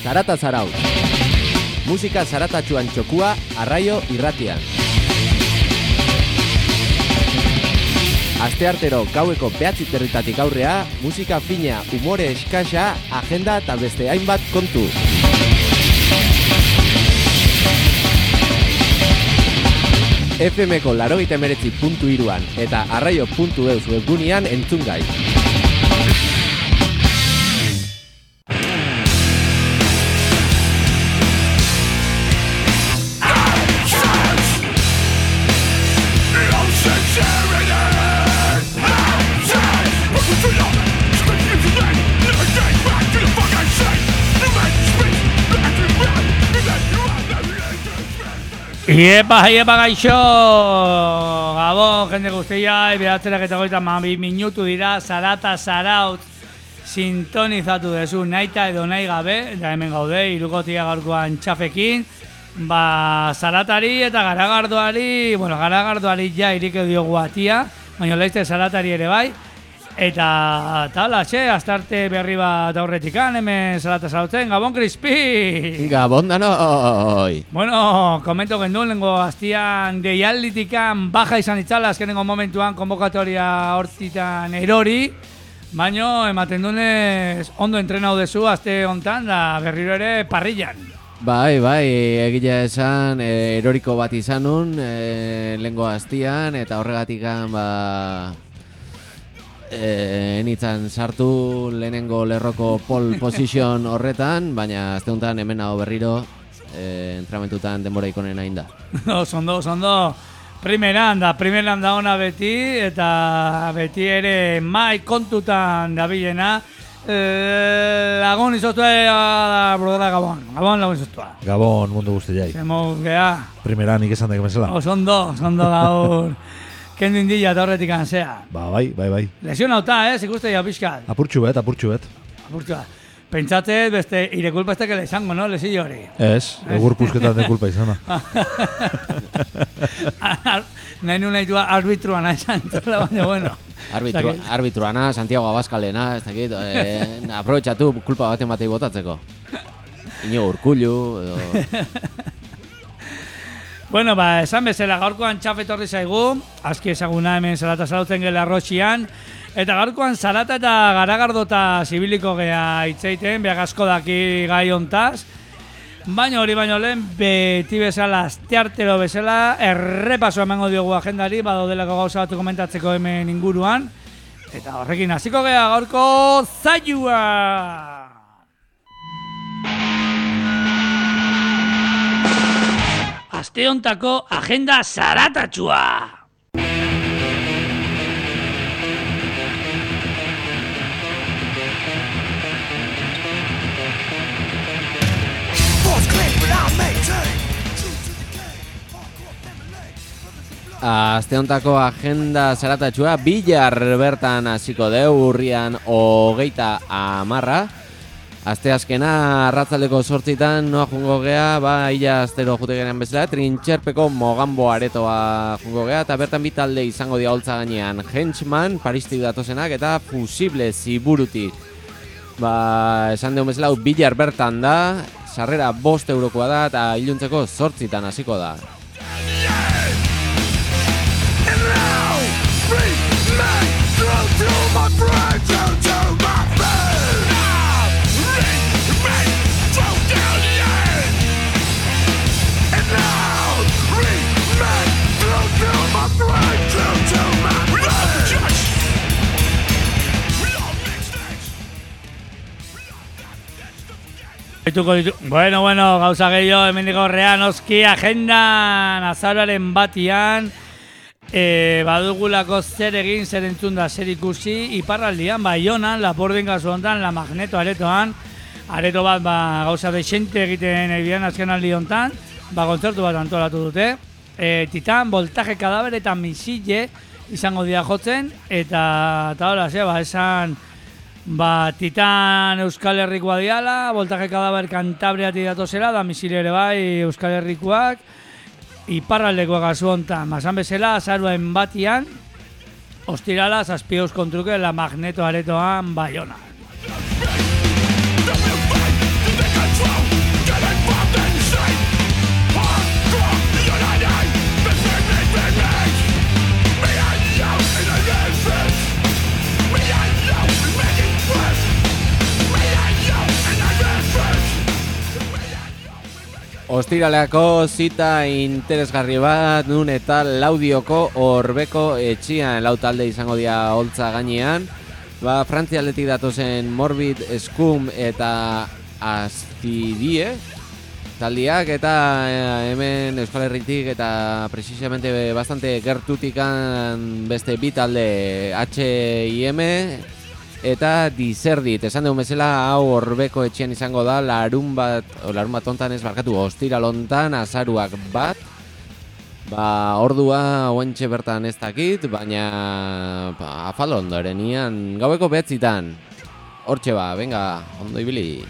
Zarata Zarautz. Musika zaratatxuan txokua Arraio Irratian. Asteartero gaueko 9:00 aurrea, musika fina, umore eskasa, agenda eta beste hainbat kontu. FM-ko 89.3an eta arraio.eus webgunean entzun gai. Iepa gaixo! Gabon, jende guztia, 9:22 minutu dira, Zarata Zarautz sintonizatu dezu, naita edo nahi gabe, eta hemen gaude, hirukotia gaurkoan txafekin, Zaratari eta garagardoari ja irik diogu atia, baina laizte Zaratari ere bai, eta tala, astarte berri bat aurretikan, hemen Zarata Zarautzen, Gabon Crispi! Gabon danoi! Bueno, komento gendun, lengo hastian deialditikan baja izan itzala, azkenengo momentuan konbokatoria hortitan erori, baina ematen dunez ondo entrenau dezu, aste hontan, da berriro ere parrillan. Bai, egila esan, eroriko bat izanun, lengo hastian, eta horregatikan, enitzan sartu lehenengo lerroko pole position horretan, baina azte honetan hemen hau berriro entramentutan denbora ikonen hain da. Oso, primeran da ona beti, eta beti ere mai kontutan dabilena. Lagun izostua brodera Gabon lagun izostua. Gabon mundu guzti jai. Zemuz geha. Primeran ikesan daik mesela. Oso ondo gaur. Kendu indila eta horretik anzea. Bai. Lesion hauta, ikuste ja pixkat. Apurtxu bet. Pentsatzez beste irekulpa estekele izango, no? Lesio hori. Ez, egur pusketan de kulpa izana. Nahi naitua arbitruana esan, baina bueno. Arbitruana, Santiago Abascalena, ez dakit, aprobetxatu kulpa baten batei botatzeko. Ino Urkullu, edo... Bueno, esan bezala gaurkoan txafetorri zaigu, aski ezaguna hemen Zarata Zarautzen gela arrotxian, eta gaurkoan Zarata eta Garagardota zibiliko gea itzeiten, behar asko daki gai hontaz, baina hori baino lehen, beti bezala, asteartero bezala, errepaso emango diogu agendari, badaudelako gauza batu komentatzeko hemen inguruan, eta horrekin hasiko gea gaurko zaiua! Aste hontako agenda zaratatxua! Aste hontako agenda zaratatxua Bilar bertan hasiko deu, urrian 30. Asteazkena arratzaldeko 8:00 noa jungo gea, illa astero jute genean bezala, Trintxerpeko Mogambo aretoa jungo gea, eta bertan bitalde izango dia holtza gainean, Henchman, Paristik datozenak, eta Fusible Ziburutik. Esan deun bezala, Bilar bertan da, sarrera 5 eurokoa da, eta iluntzeko 8:00 hasiko da. Bueno, gauza gehiago, hemendik aurrean, oski agendan azaroaren batian, badugulako zer egin, zer entzun da, zer ikusi, iparraldian, Baionan, Lapurdin kasu honetan, La Magneto aretoan, areto bat gauza dexente egiten egian azken aldi honetan, kontzertu bat antolatu dute, Titan, Voltaje Kadaber eta Misile izango dira jotzen, eta hola, esan... Titan Euskal Herrikoa diala, Voltaje Kadaber Kantabriatik datozela, da Misile ere bai Euskal Herrikoak, iparraldekoak kasu honetan, esan bezala, azaroaren batian, ostirala, 7 kontruke La Magneto aretoan Baiona. Ostiraleako zita interesgarri bat, nun eta Laudioko Orbeko etxian, lau talde izango dira holtza gainean. Frantzialetik datozen Morbid, Scum eta Astidie taldiak, eta hemen Euskal Herritik eta precisamente bastante gertutikan beste bi talde H.I.M. eta Diserdit. Esan dugun bezala, hau Orbeko etxean izango da larun bat hontan ez barkatu, ostiral hontan, azaruak bat. Ordua oentxe bertan ez dakit, baina afal ondorenian gaueko 9:00. Hortxe venga, ondo ibili.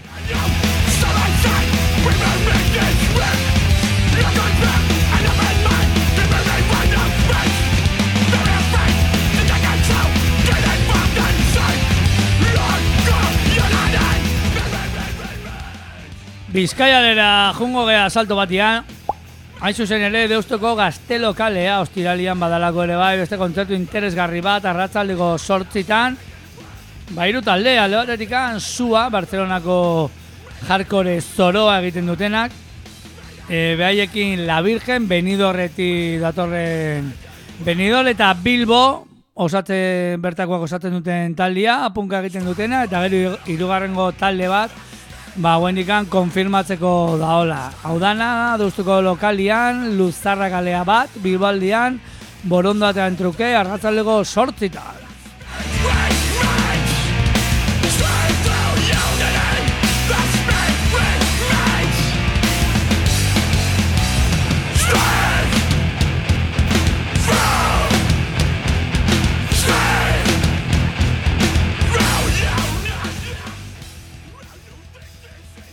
Bizkaialera jungo gea salto batian, hain zuzen ere Deustoko Gaztelo kalea ostiralian badalako ere bai, beste kontzertu interesgarri bat arratsaldeko 8:00. Hiru talde, alde batetikan Sua, Barcelonako hardcore zoroa egiten dutenak, behaiekin La Virgen, Benidorretik datorren Benidorm eta Bilbo bertakoak osatzen duten taldea, punka egiten dutena, eta gero hirugarrengo talde bat guendikan konfirmatzeko daola. Hau dana, Deustuko lokalian, Luzarra kalea bat, Bilbaldian, Borondatean truke, arratsaldeko 8:00.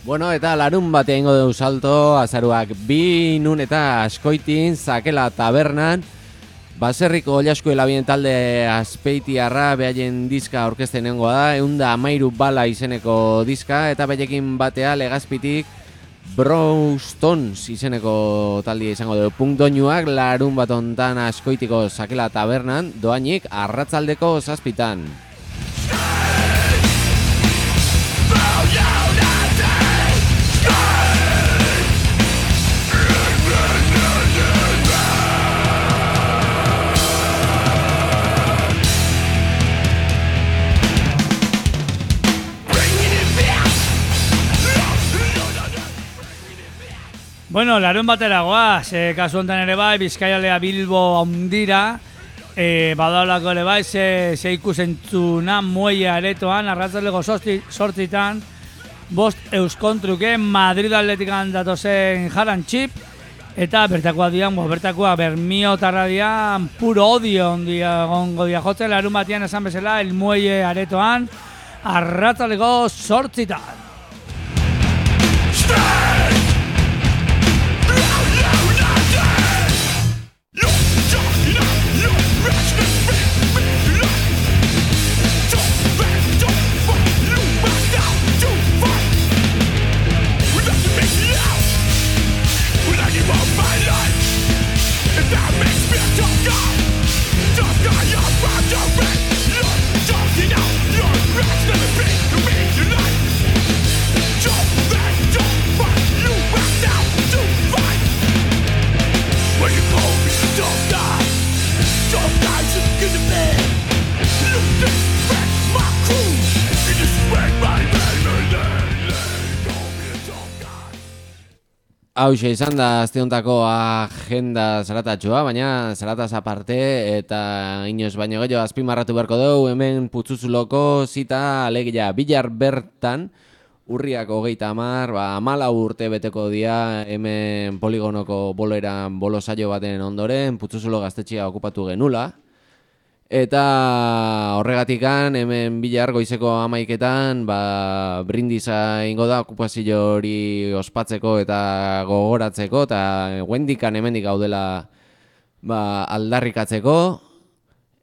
Bueno, eta larun batean ingo dugu salto, azaruak 2, nun eta Askoitin, Zakela tabernan, baserriko Oilaskuela bien talde Azpeitiarra behaien diska orkesten nengoa da, 113 bala izeneko diska, eta behaiekin batea Legazpitik Browstones izeneko taldia izango dugu. Punkdoinuak larun bat hontan Askoitiko Zakela tabernan, doainik arratsaldeko 7:00. Bueno, larun batera goaz, kasu honetan ere bai, Bizkaialea Bilbo handira, badaolako ere bai, ze ikusentzuna muelle aretoan, arratsaldeko 8:00, 5 euskontruke, Madrid Atletikan datozen Jaran Txip, eta bertakoa dian, bertakoa Bermiotarra dian, puro odio gongo dia jotzen, larun batian esan bezala, el muelle aretoan, arratsaldeko 8:00. Hauxe izan da azteuntako agenda zaratatxoa, baina zarataz aparte eta inoz baino gehiago azpimarratu beharko dugu, hemen Putzuzuloko zita alegia Bilar bertan, urriak 30, 14 urte beteko dia hemen poligonoko boloeran bolo saio baten ondoren, Putzuzulo gaztetxea okupatu genula. Eta horregatikan hemen Bilar goizeko 11:00 brindisa ingo da okupazio hori ospatzeko eta gogoratzeko, eta guendikan hemendik gaudela aldarrikatzeko.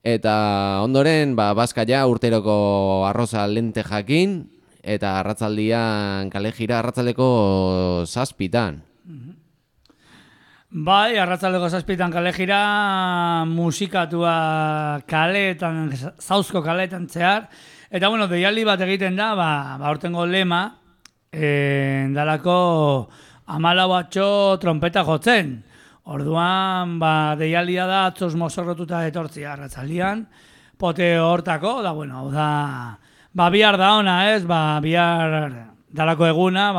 Eta ondoren Bazkaia urteroko arroza lente jakin, eta arratzaldian kale jira arratzaldeko 7:00. Bai, arratsaldeko 7:00 kale jira, musikatua kaleetan, zauzko kaleetan zehar. Eta bueno, deialdi bat egiten da, aurtengo lema, dalako 14 trompeta jotzen. Orduan, deialdia da atzoz mozorrotuta etortzia arratzaldian, pote hortako, da, bueno, hau da, bihar da ona, ez, bihar dalako eguna,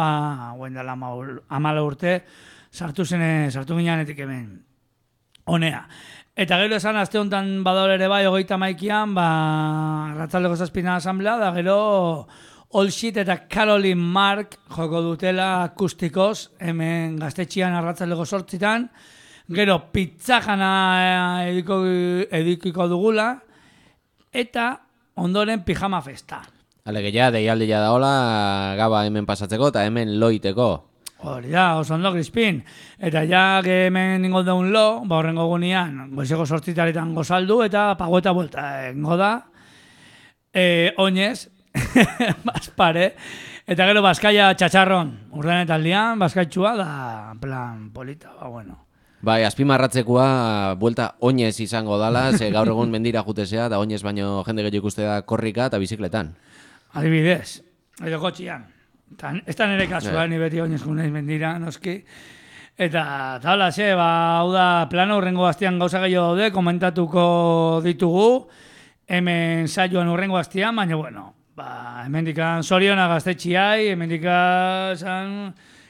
guen dela 14 urte, sartu gineanetik hemen, honea. Eta gero esan, aste honetan badaur ere bai, 31an, arratzaldeko 7 asamblea, da gero All Shit eta Caroline Mark joko dutela akustikoz, hemen Gaztetxean arratzaldeko 8 gero pizzajana edukiko dugula, eta ondoren pijama festa. Alegia, deialdia da hola, gaba hemen pasatzeko eta hemen loiteko. Hori da, oso ondo, Crispin. Eta ja, hemen ningo daun lo, horrengo gunean, goizeko 8 gozaldu, eta pago eta vuelta ingo da. Oinez, Baspare, eta gero Baskaia txatxarron, urdanetaldian, Baskaitxua da, plan polita, bueno. Bai, azpimarratzekoa buelta oinez izango dala, ze gaur egun mendira jutezea, da oinez baino jende gehiago ikuste da korrika eta bizikletan. Adibidez, edo kotxian. Ez da nire kasua, ni beti oinez guneiz mendira, noski. Eta, hala, hau da, plano urrengo gaztian gauza gehiago daude, komentatuko ditugu, hemen saioan urrengo gaztian, baina, bueno, hemendikan Soriona Gaztetxiai, hemendikan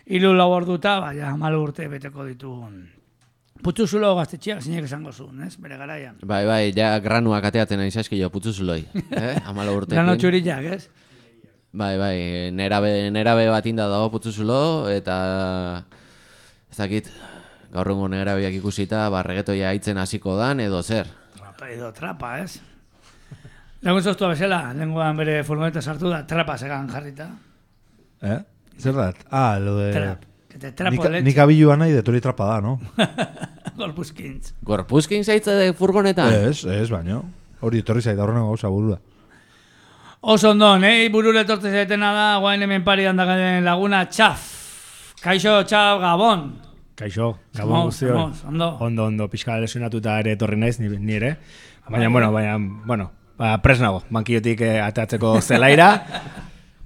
hiru lau orduta, ja, 14 urte beteko ditugun. Putzuzulo Gaztetxiak zinek esango zuen, ez, bere garaian. Bai, ja granuak ateatzen ari zaizkio putzuzuloi, 14 urtekin. Grano txurillak, ez? Bai, nerabe bat inda dago putzuzulo, eta ez dakit, gaur egun nerabeak ikusita, reggaetoia aitzen hasiko dan, edo zer. Edo trapa, ez? Legun zoztua bezala, lenguan bere furgoneta sartu da, trapa segan jarrita. Zer dat? Lo de... Trap. Trapo de leche. Nik abilua nahi detori trapa da, no? Gorpuzkintz. Gorpuzkintz aitza de furgonetan? Ez, baino. Hori etorri zaita horrengo gauza burura. Oso ondo, burure etortze zaitena da, guain hemen pari handakaren laguna Txaf. Kaixo, Txaf, Gabon. Kaixo, Gabon guztioi. Ondo, pixka lesionatuta ere etorri naiz, ni ere. Baina, pres nago, bankiotik atatzeko zelaira,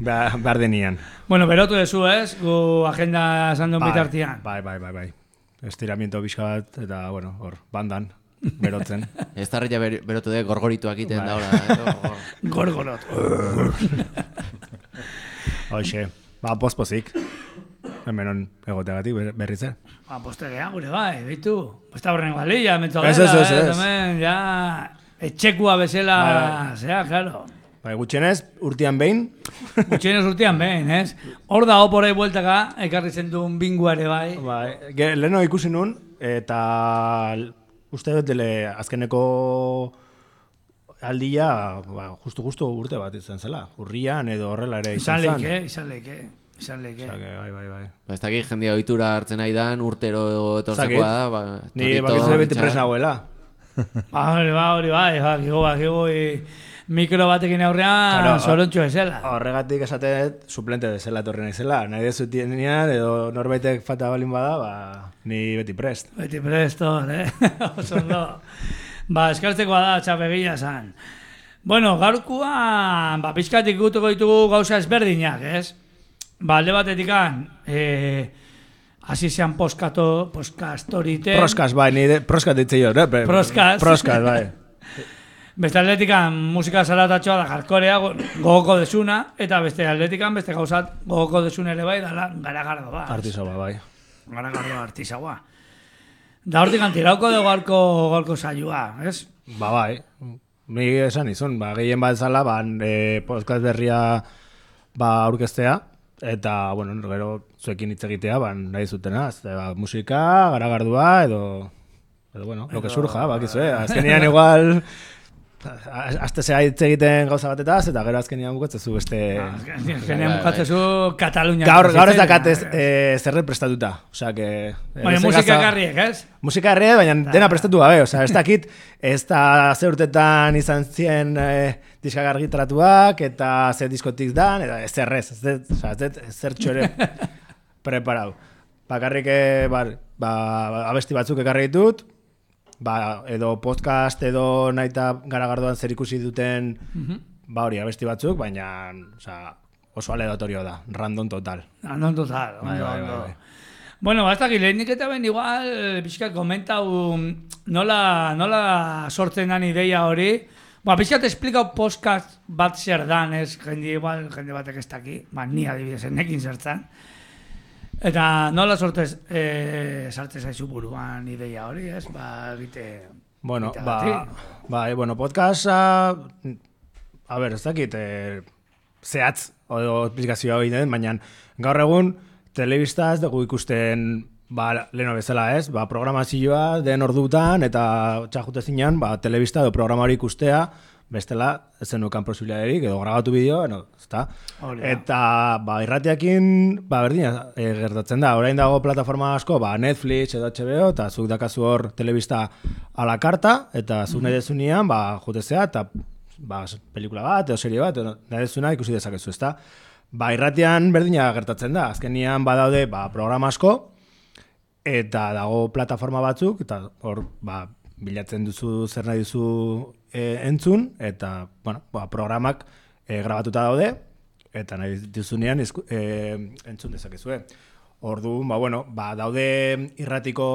behar denian. Bueno, berotu dezu, ez? Gu agenda esan duen bitartian. Bai. Estiramiento pixka bat, eta, bueno, hor, bandan, berotzen. Ez tarria berotu de gorgorituak iten da, hola. Gorgorot. Hoxe, pospozik. Hemen egoteagatik berriz zer. Postegea, gure bai, behitu. Posta horrengo alila, mentzo Ez. Ja, etxekua bezala, zera, claro. Gutxienez, urtean behin. Ez? Hor da, oporei bueltaka, ekarri zendun binguare bai. Leheno ikusi nun, eta uste dut azkeneko aldia, justu urte bat izan zela. Urrian edo horrela ere izan zan. Izan leke. Bai. Ez dakik jendia ohitura hartzen nahi dan, urtero etortzekoa da. Ni bakizu beti pres nagoela. Hori bai, mikro batekin aurrean sorontxo ezela. Horregatik esatet suplente bezala etorri naizela. Nahi dezutienean edo norbaitek falta balin bada, ni beti prest. Beti prest, oso ondo. Eskartzekoa da, txapegia zan. Bueno, gaurkoan, pixkatik gutuko ditugu gauza ezberdinak, ez? Alde batetikan, hasi zean postkastorite. Proskas, bai, nire proskat ditzei hor, Proskas, bai. Beste atletikan musika zaratatxoa da jarkorea gogoko desuna, eta beste atletikan beste gauzat gogoko desun ere bai, dala garagardo ba. Artizaua, bai. Garagardo artizaua. Da hortik antirauko dugu gaurko saioa, ez? Bai. Mi esan izun, gehien bat zala, podcast berria aurkeztea, eta, bueno, gero zuekin hitz egitea, nahi zutena, musika, garagardua, edo bueno, lo que surja, bakizue, azkenean igual... Azte zea hitz egiten gauza batetaz, eta gero azkenean bukatzezu beste... Azkenean bukatzezu Katalunia. Gaur ez dakat zerret prestatuta. Baina musika garriek, ez? Musika garriek, baina dena prestatu gabe. Ez dakit, ez da ze urtetan izan zien diskak argitaratuak, eta ze diskotik dan, eta ez zerrez. Zer txore preparau. Bakarrik abesti batzuk ekarri ditut, edo podcast edo naita garagardoan zer ikusi duten hori abesti batzuk, baina oso aleatorio da, random total. Random total, ondo. Bueno, ez dakit, lehenik eta ben igual, pixkat komentau nola sortzen dan ideia hori. Pixkat esplikau podcast bat zer dan, ez jende batek ez daki, ni adibidez, nekin zertzen. Eta nola sartze zaizu buruan ideia hori, ez? Egite... Bueno, bueno, podcasta... A ber, ez dakit, zehatz, o esplikazioa hori den, baina gaur egun, telebista ez dugu ikusten leheno bezala ez, programazioa den ordutan eta txajute zinean, telebista edo programa hori ikustea, bestela ez zenukan posibilidaderik edo grabatu bideo, ezta? Eta irratiakin berdina gertatzen da, orain dago plataforma asko, Netflix edo HBO, eta zuk dakazu hor telebista a la karta, eta zuk nahi dezunean, jutezea, eta pelikula bat edo serie bat, nahi dezuna ikusi dezakezu, ezta? Irratian berdina gertatzen da, azkenian badaude programa asko, eta dago plataforma batzuk, eta hor bilatzen duzu zer nahi duzu entzun, eta programak grabatuta daude, eta nahi duzunean entzun dezakezue. Orduan, daude irratiko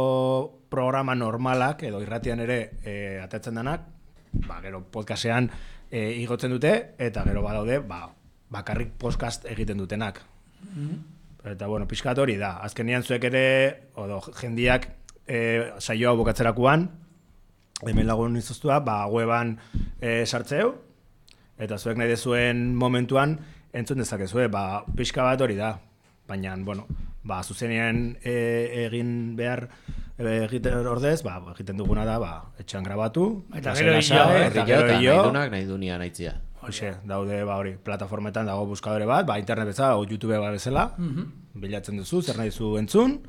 programa normalak, edo irratian ere atatzen denak, gero podcastean igotzen dute, eta gero badaude, bakarrik podcast egiten dutenak. Eta, pixkat hori da. Azkenean zuek ere, jendiak saioa bukatzerakoan, hemen lagun izoztua, weban sartzeu, eta zuek nahi dezuen momentuan entzun dezakezue, pixka bat hori da. Baina, zuzenean egin behar egiten ordez, egiten duguna da, etxean grabatu, eta gero nahi dunia nahitzia. Hoxe, daude hori, plataformetan dago buskadore bat, internet bezala, YouTube bezala, bilatzen duzu, zer nahi duzu entzun,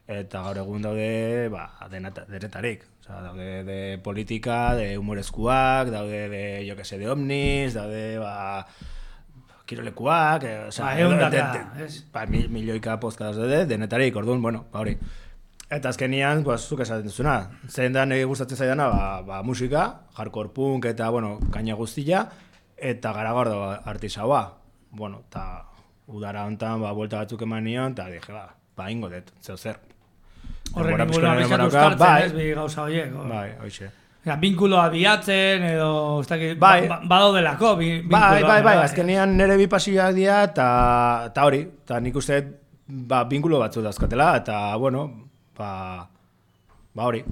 eta gaur egun daude denetarik. Daude de politika, de humorezkuak, daude de omnis, daude kirolekuak, milioika podcast daude, denetarik, orduan, hori. Eta azkenian, zuk esaten duzuna, zein da nire gustatzen zaidana, musika, hardcore punk eta, kaina guztia, eta Garagardo artisaua. Eta udara honetan, buelta batzuk eman nion, eta dije, ingo dut, zeu zer. Horren inguruan bizkat uztartzen, ez, bi gauza horiek. Hoxe. Binkuloa bilatzen, edo, badaudelako, binkuloa. Azkenean nire bi pasioak dira, eta hori, eta nik uste, binkulo batzu dauzkatela, eta, hori,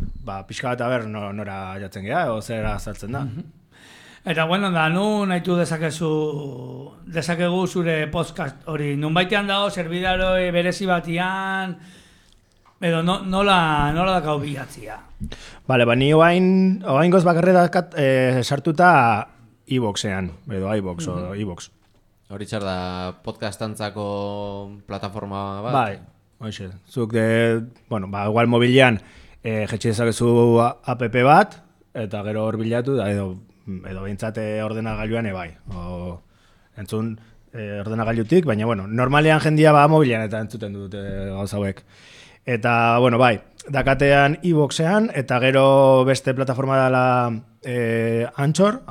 pixka bat nora jatzen geha, edo zera saltzen da. Eta, nu nahitu dezakegu zure podcast hori. Nun baitean dago, zerbidaro berezi batian, edo nola dakau bilatzia? Ni oain goz bakarri dakat sartuta iVoxean, edo iVox, o iVox. Hori txar da podcastantzako plataforma bat? Bai, hoxe. Zuk igual mobilian jetxe dezakezu app bat, eta gero hor bilatu, edo behintzate ordenagailuan ebai. Entzun ordenagailutik, baina, normalean jendia mobilian eta entzuten dute gauza hauek. Eta, dakatean iVoxean, eta gero beste plataforma dela Anchor,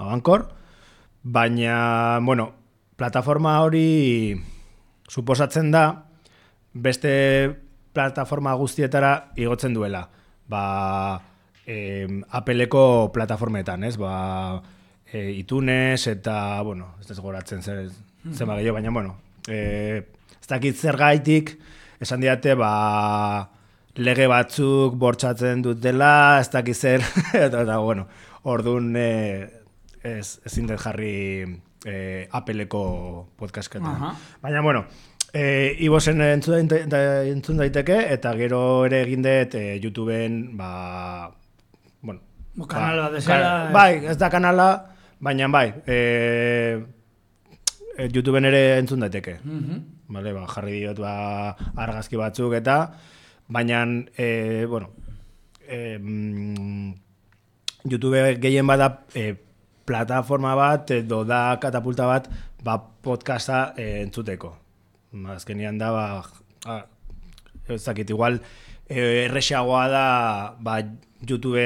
baina, plataforma hori suposatzen da beste plataforma guztietara igotzen duela. Appleko plataformetan, ez? iTunes eta, ez da goratzen zenba gehiago, baina, ez dakit zer gaitik, esan diate, lege batzuk bortxatzen dut dela, ez dakit zer, eta, orduan ezin dut jarri Appleko podcasketan. Baina, iVoxen entzun daiteke, eta gero ere egin dut YouTubeen, kanala desera. Ez da kanala, baina YouTubeen ere entzun daiteke. Jarri diot argazki batzuk eta, baina, YouTube gehien bada plataforma bat edo da katapulta bat podcasta entzuteko. Azkenian da, ez dakit, igual errexagoa da YouTube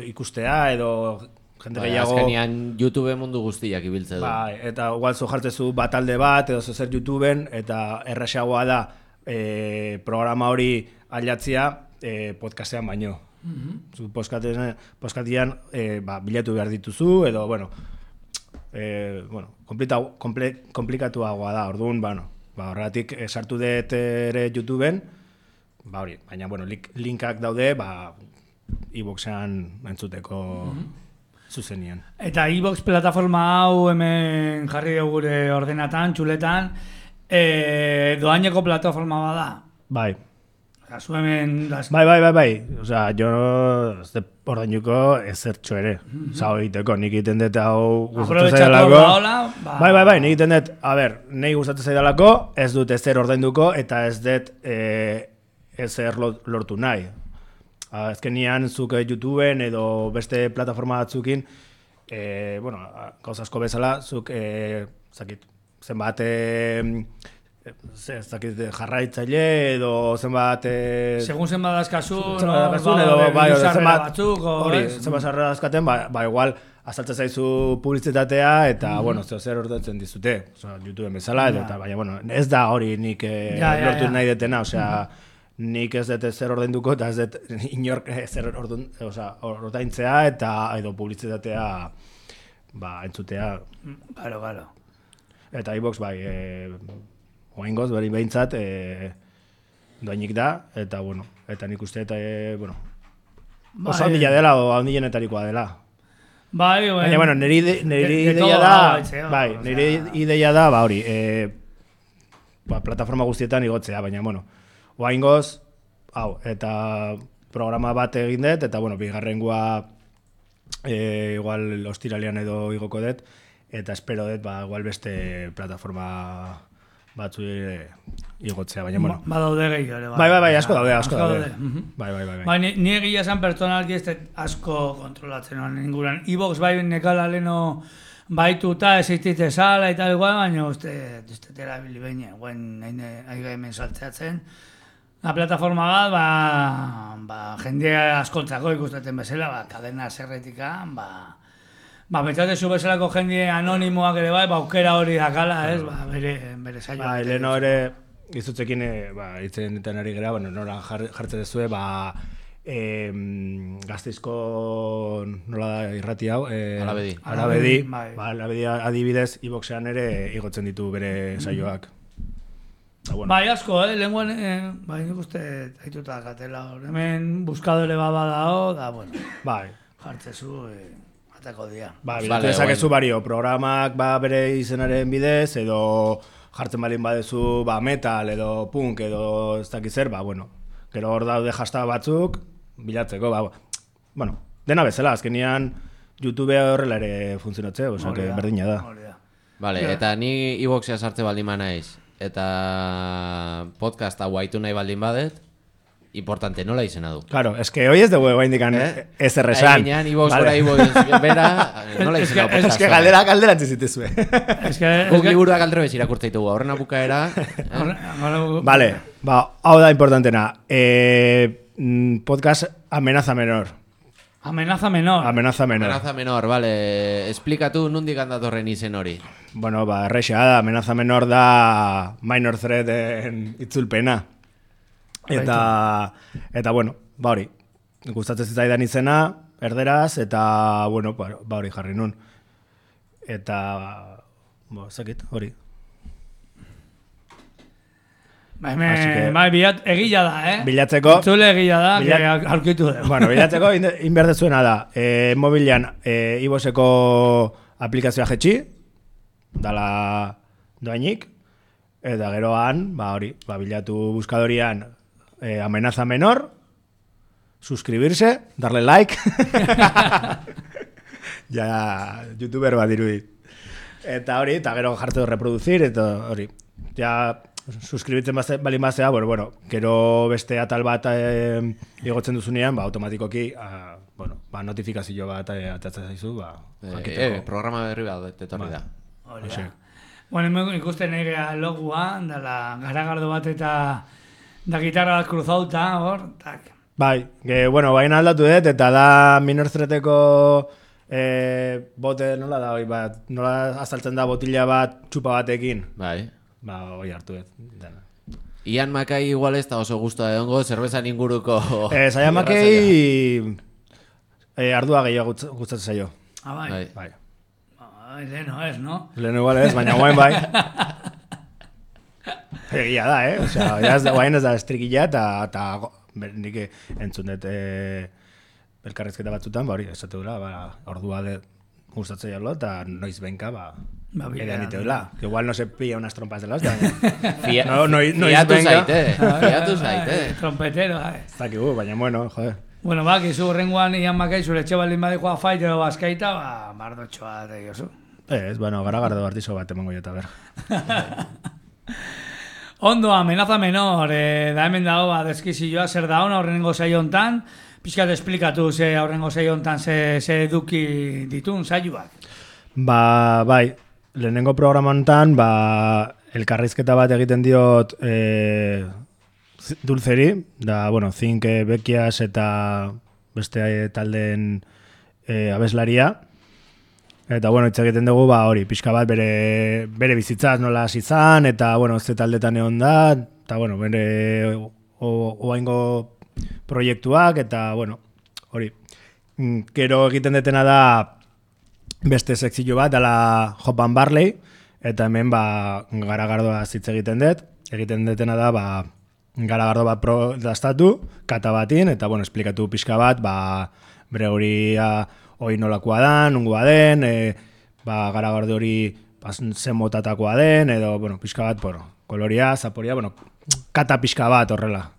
ikustea edo jende gehiago... Azkenian YouTube mundu guztiak ibiltze du. Eta igual zo jartzezu talde bat edo zer YouTubeen, eta errexagoa da programa hori aldatzea podcastean baino. Zu podcastean bilatu behar dituzu, edo, komplikatuagoa da, orduan, horregatik sartu dut ere YouTubeen, baina, linkak daude, iVooxean entzuteko zuzenian. Eta iVoox plataforma hau hemen jarri dugu gure ordenatan, txuletan, doaineko plataforma bada. Bai. Zu hemen... Bai. Osea, jo ez de ordainuko ezertxo ere. Osa, egiteko, nik egiten dut hau gustatzen zaidalako. Bai, nik egiten dut, nahi gustatzen zaidalako, ez dut ezer ordainduko, eta ez dut ezer lortu nahi. Azkenian, zuk YouTubeen edo beste plataforma batzukin, gauz asko bezala, zuk, zenbat jarraitzaile edo zenbat segun zenbat dazkazun zenbat sarrera dazkaten, igual azaltzen zaizu publizitatea eta zer ordaintzen dizute, YouTubeen bezala edo, baina ez da hori nik lortu nahi detena, osea nik ez dut zer ordainduko eta ez dut inork zer ordaintzea eta edo publizitatea entzutea. Claro. Eta iVoox oaingoz, behintzat, doainik da, eta, eta nik uste, oso handila dela, o handienetarikoa dela. Baina, nire ideia da, nire ideia da, hori, plataforma guztietan igotzea, baina, oaingoz, eta programa bat egin dut, eta, bigarrengoa, igual, ostiralean edo igoko dut, eta espero dut, igual beste plataforma batzu igotzea, baina, badaude gehiago ere. Bai, asko daude. Bai. Ni egia esan pertsonalki ez asko kontrolatzen honen inguran. iVoox bai nekala leno baituta existite sala eta igual, baina uste terabili behin, guen aiga hemen saltzeatzen. La plataforma bat, jende askontzako ikusten bezala, kadena zerretika, betzatezu bezalako jende anonimoak ere aukera hori dakala, ez, bere saioa. Leno ere, izutzekin, itzen ditan ari gara, nola jartzen dezue, Gasteizko, nola da irrati hau? Arabedi. Arabedi adibidez, iVooxean ere igotzen ditu bere saioak. Bai, asko, lenguen, nik uste haituta gatela, hemen buskadore badao, da, jartzezu, atako dia. Bilatu dezakezu bario, programak bere izenaren bidez, edo jartzen balin badezu metal, edo punk, edo ez dakiz zer, gero hor daude hashtag batzuk, bilatzeko, dena bezala, azkenian YouTube horrela ere funtzionatze, berdina da. Vale, eta ni iVooxea sartze baldin naiz, eta podcast hau haitu nahi baldin badet, importante, nola izena du? Claro, hoi ez dugu egoa indikan ez erresan. Aiginean, iVoox bera, nola izena podcast? Ez que galdera antzizitezue. Guk liburuak aldero bez irakurtzaitugu, horren apukaera. Vale, hau da importantena. Podcast Amenaza Menor. Amenaza menor, vale. Esplikatu nondik handatorren izen hori. Erreixa da, Amenaza Menor da Minor Threaten itzulpena. Eta hori, gustatzen zitzaidan izena, erderaz, eta, hori jarri nun. Eta, zakit, hori. Egila da, Bilatzeko. Itzule egila da, aurkitu da. Bilatzeko, inberdezuena da, mobilean, iVooxeko aplikazioa jetxi, dala doainik, eta geroan, hori, bilatu buskadorian, Amenaza Menor, suscribirse, darle like, ja, youtuber bat dirudit. Eta hori, eta gero jartu reproducir, eta hori, ja, suscribitzen balin bazea, gero beste atal bat igotzen duzunean, automatikoki, notifikazio bat atatzen zaizu, programa berri bat, etorri da. Ikusten egea logua, dala garagardo bat eta da gitarra bat kruzauta, hor, tak. Baina aldatu dut, eta da Minor Threateko bote, nola da, nola azaltzen da botila bat txupa batekin. Bai. Hoi hartu dut. Ian Mackay igual ez da oso gustoa edongo, zerbezan inguruko... Ian Mackay ardua gehiago gustatzen zaio. Bai. Bai. Leno ez, no? Leno igual ez, baina guain bai. Egia da, Osea, guain ez da estrikila eta nik entzun dut elkarrezketa batzutan, hori, esate dura, ordua gustatzen jalo, eta noiz benka, edan diteula. Que igual no se pilla unas trompas de la hostia. Fiatu zaite. Trompetero, Zakigu, baina bueno, joder. Bueno, kizu horrengoan Ian Mackay zure etxe baldin badikoa faitero bazkaita, mardotxoa da diozu. Ez, bueno, garagardo artizo bat emango jota, ber. Ondo, amenaza menor, da hemen dago, deskizioa, zer da hona horrengo saio hontan, pixkat esplikatu horrengo saio hontan ze eduki ditun saioak. Bai, lehenengo programa hontan, elkarrizketa bat egiten diot Dulceri, da, bueno, Zink Bekias eta beste taldeen abeslaria. Eta, bueno, hitz egiten dugu, hori, pixka bat bere bizitzaz nola hasi izan, eta, bueno, ze taldetan egon da, eta, bueno, bere oaingo proiektuak, eta, bueno, hori. Gero egiten detena da beste sekzio bat, dala Hop and Barley, eta hemen, garagardoa hitz egiten detena da, garagardo bat dastatu, kata batin, eta, bueno, esplikatu pixka bat, bere horia hoi nolakoa da, nungoa den, garagardo hori zen motatakoa den, edo, bueno, pixka bat, koloria, zaporia, bueno, kata pixka bat horrela.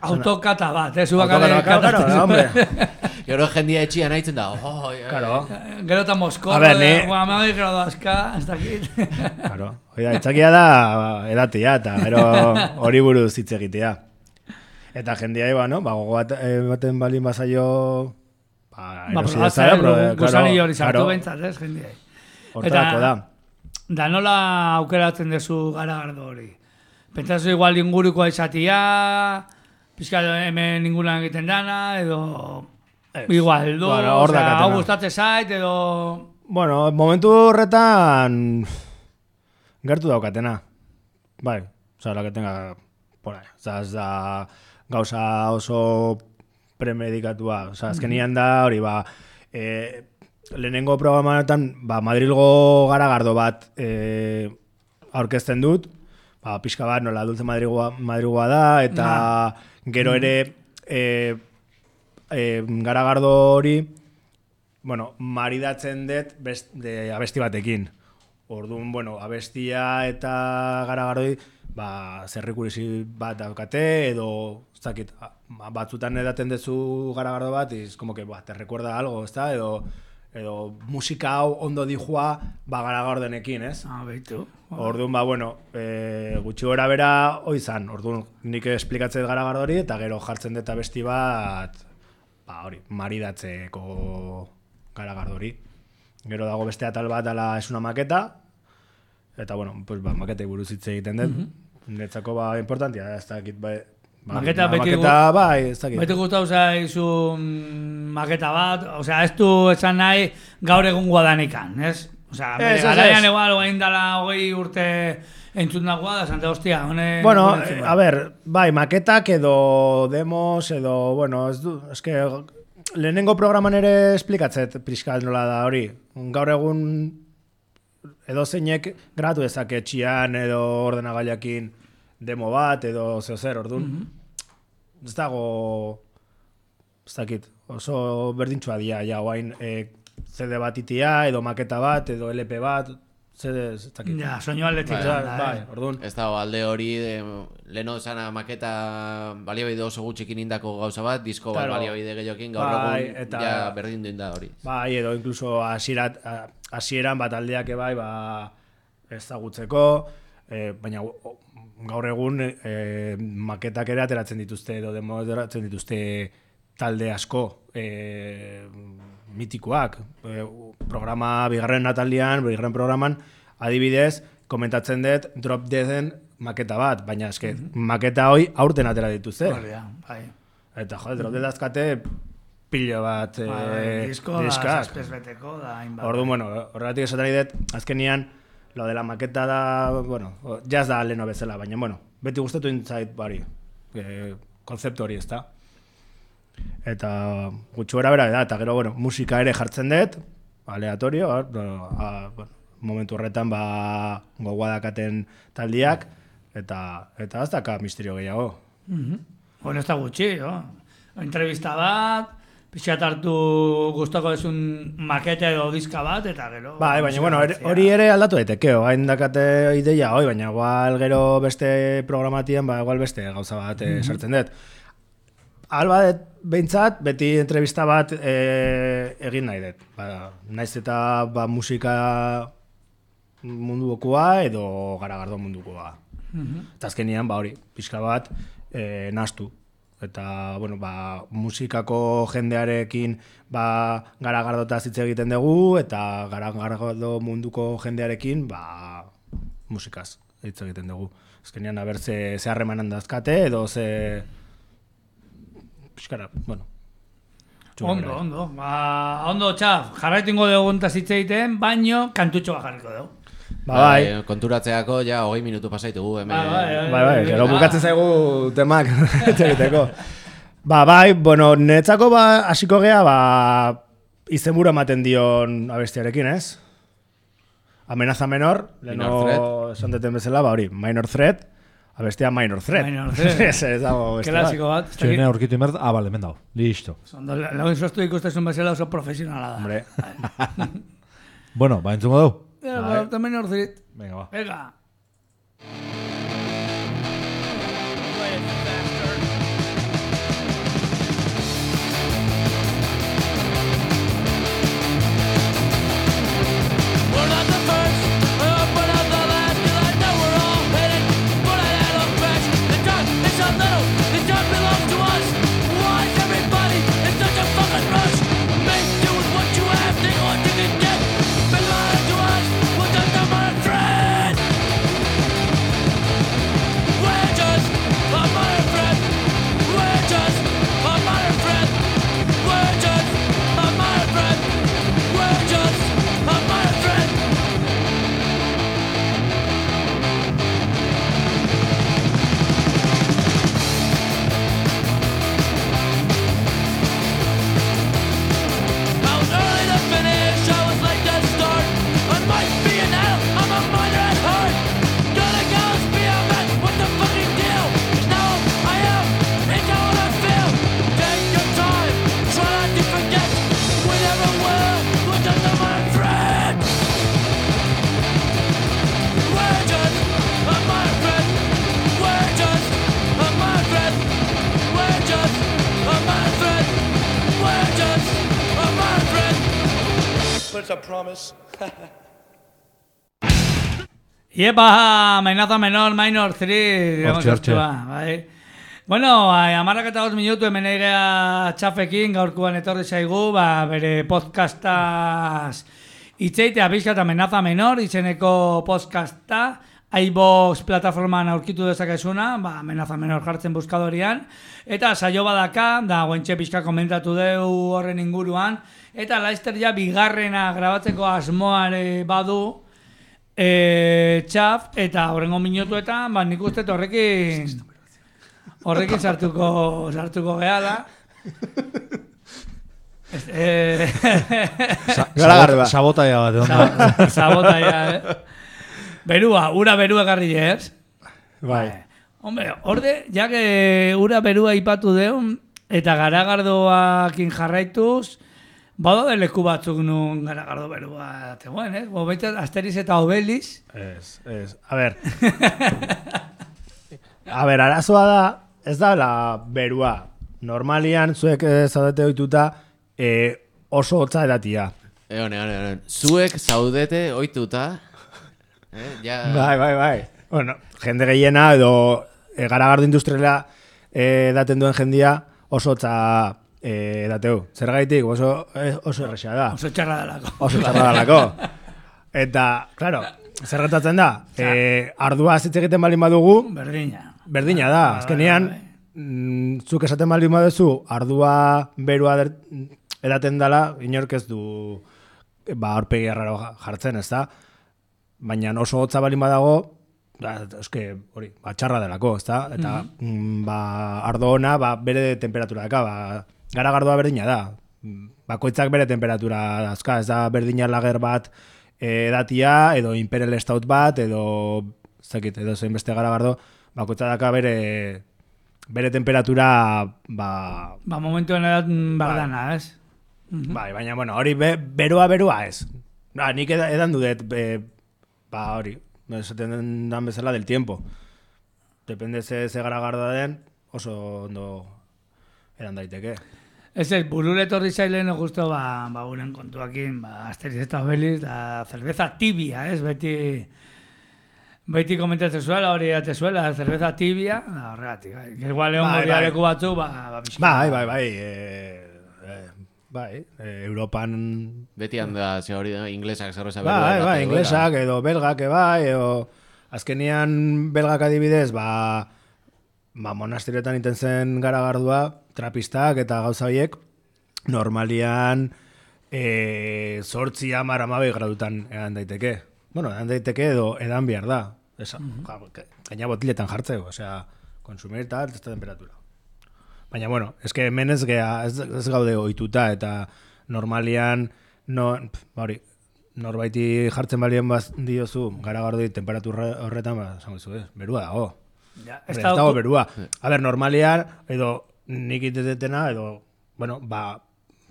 Autokata bat, zubakale kata. Hombre. Gero jendia etxian haitzen da, Gero eta Moskorro, guamagik gero dazka, ez dakit. Claro, itzakia da edatia, eta gero hori buruz hitz egitea. Eta jendia iba, no? Gogo baten balin bazaio... Gusani hori sartu behintzat, ez, jendiai. Hortarako da. Da nola aukeratzen dezu garagardo hori? Pentsazu igual ingurukoa izatia, pixka hemen inguruan egiten dana, edo... Igual, hau gustatzen zait, edo... Bueno, momentu horretan gertu daukatena. Bai, la que tenga por ahí. Ez da gauza oso premedikatua. Azkenian da, hori, lehenengo programatan, Madrilgo garagardo bat aurkezten dut, pixka bat, nola Dulce Madrigoa da, eta gero ere garagardo hori, bueno, maridatzen dut abesti batekin. Orduan, bueno, abestia eta garagardoi, zerrikurisi bat daukate, edo, ez dakit, batzutan edaten dezu garagardo bat, como que, te recuerda algo, ez da, edo musika hau ondo dijua, garagardonekin, ez? Beitu. Orduan, bueno, gutxi gora bera, izan, orduan, nik esplikatzen garagardori, eta gero jartzen dut abesti bat, hori, maridatzeko garagardori. Gero dago beste atal bat ala es una maketa, eta, bueno, pues, maketei buruz hitz egiten dut. Netzako, importantia, ez dakit, maketa beti gustau zaizu maketa bat, osea, ez du esan nahi gaur egungoa danikan, ez? Osea, garaian egual, oain dala 20 urte entzun dagoa, da, Santa Hostia, hone... Bueno, a ver, maketak edo demos, edo, bueno, ez que lehenengo programan ere esplikatzet pixkat nola da hori. Gaur egun edo zeinek gratu dezake etxian edo ordenagailakin demo bat edo zer, orduan. Ez dago, ez dakit, oso berdintxua dia, oain CD bat itia, edo maketa bat, edo LP bat, CD, ez dakit. Ja, soinu aldetik. Orduan. Ez dago alde hori, leheno esana maketa baliabide oso gutxikin indako gauza bat, disko bat baliabide gehiokin, gaur egun ja berdin duen da hori. Bai, edo inkluso hasieran bat aldeak ezagutzeko, baina gaur egun maketak ere ateratzen dituzte edo demo ateratzen dituzte talde asko mitikoak. Programa bigarren programan adibidez komentatzen dut Drop Deaden maketa bat, baina eske maketa hoi aurten atera dituzte. Eta jode, Drop Dead azkate pilo bat diskaz. Orduan, bueno, horregatik esaten dut, azkenian lo de la maketa da, bueno, jazz da leno bezala, baina, bueno, beti gustatu intzait bari, konzeptu hori ez da. Eta gutxu bera da, eta gero, bueno, musika ere jartzen dut, aleatorio, bueno, momentu horretan gogoa dakaten taldiak, eta ez daka misterio gehiago. Bueno, ez da gutxi, entrevista bat, pixat hartu gustoko desun makete edo diska bat, eta gero... Baina, bueno, hori ere aldatu daiteke, hain dakate ideia, baina igual gero beste programatien, igual beste gauza bat sartzen dut. Alba behintzat, beti entrevista bat egin nahi dut. Naiz eta musika mundukoa edo garagardo mundukoa. Eta azkenian, hori, pixka bat nahastu. Eta, bueno, musikako jendearekin garagardotaz hitz egiten dugu, eta garagardo munduko jendearekin musikaz hitz egiten dugu. Azkenian, aber ze harremanan dazkate, edo ze... Piskara, bueno. Ondo. Ondo, txaf, jarraitingo dugu ontaz hitz egiten, baino kantutxo bat jarriko dugu. Bai, konturatzeako ja 20 minutu pasaitugu hemen. Bai, gero bukatzen zaigu temak egiteko. Bueno, netzako hasiko gea, izenburu ematen dion abestiarekin, ez? Amenaza menor, leno esan deten bezala, hori, Minor Threat, abestia Minor Threat. Ez dago beste bat. Klasiko bat. Txoinea aurkitu inbert, bale, hemen dago, listo. Lagun zostu ikustezun bezala oso profesionala da. Hombre. Bueno, entzungo dugu. Minor Threat. Venga, Venga. Iepa, Amenaza menor, Minor 3. Hortxe. Bai. Bueno, 15 minutu hemen egea txafekin, gaurkoan etorri zaigu, bere podcastaz itzeitea pixkat Amenaza menor, izeneko podcasta, iVoox plataformaan aurkitu dezakezuna, Amenaza menor jartzen buskadorian, eta saio badaka, da guentxe pixka komentatu deu horren inguruan, eta laizter ja bigarrena grabatzeko asmoare badu, txaf, eta horrengo minutuetan, nik uste horrekin sartuko geha da. Sabotaia bat, onda. Sabotaia, ura berua garri ez? Bai. Hombre, horde, jak ura berua ipatu deun, eta garagardoakin jarraituz, bado de leku batzuk nun garagardo berua zegoen, eh? Baitzat, Asteriz eta Obeliz. Ez. A ber, arazoa da, ez da la berua. Normalian, zuek zaudete oituta, oso hotza edatia. Egon. Zuek zaudete oituta. Bai. Bueno, jende gehiena edo garagardo industriala daten duen jendia oso hotza dateu. Zergaitik oso erresa da. Oso txarra dalako. Eta, claro, zer gertatzen da? Ardua hitz egiten baldin badugu, berdina da. Azkenean, zuk esaten baldin baduzu, ardua berua edaten dela, inork ez du aurpegi erraro jartzen, ez da? baina oso hotza balin badago, eske hori, txarra delako, ezta? Eta ardo ona, bere temperatura daka, garagardoa berdina da. Bakoitzak bere temperatura dazka, ez da berdina lager bat edatia, edo Imperial Stout bat, edo zein beste garagardo, bakoitza daka bere temperatura, momentu edat bardana, ez? Bai, baina, bueno, hori beroa ez. Nik edan dudet, hori, esaten dan bezala del tiempo. Depende ze garagardoa den, oso ondo eran daiteke. Ez burule torri zailen justo uren kontuakin, Asterix eta Obelix, da cerveza tibia, ez? Beti komentatzen zuela, hori zuela, cerveza tibia, horregatik. Igual egon goriareku batzu, Bai, Europan... Beti handa, ze hori da, inglesak cerveza berua. Bai, inglesak, edo belgak, edo... Azkenian belgak adibidez, monasterioetan iten zen garagardua, trapistak eta gauza horiek, normalian 8, 10, 12 gradutan edan daiteke. Bueno, edan daiteke edo edan behar da. Gaina botiletan jartzeko, osea, konsumir eta esta temperatura. Baina, bueno, eske hemen ez gaude ohituta eta normalian, norbaiti jartzen balien diozu, garagardoi temperatura horretan, esango dizu, berua dago. Ez dago berua. A ber, normalian, edo nik itetetena, edo,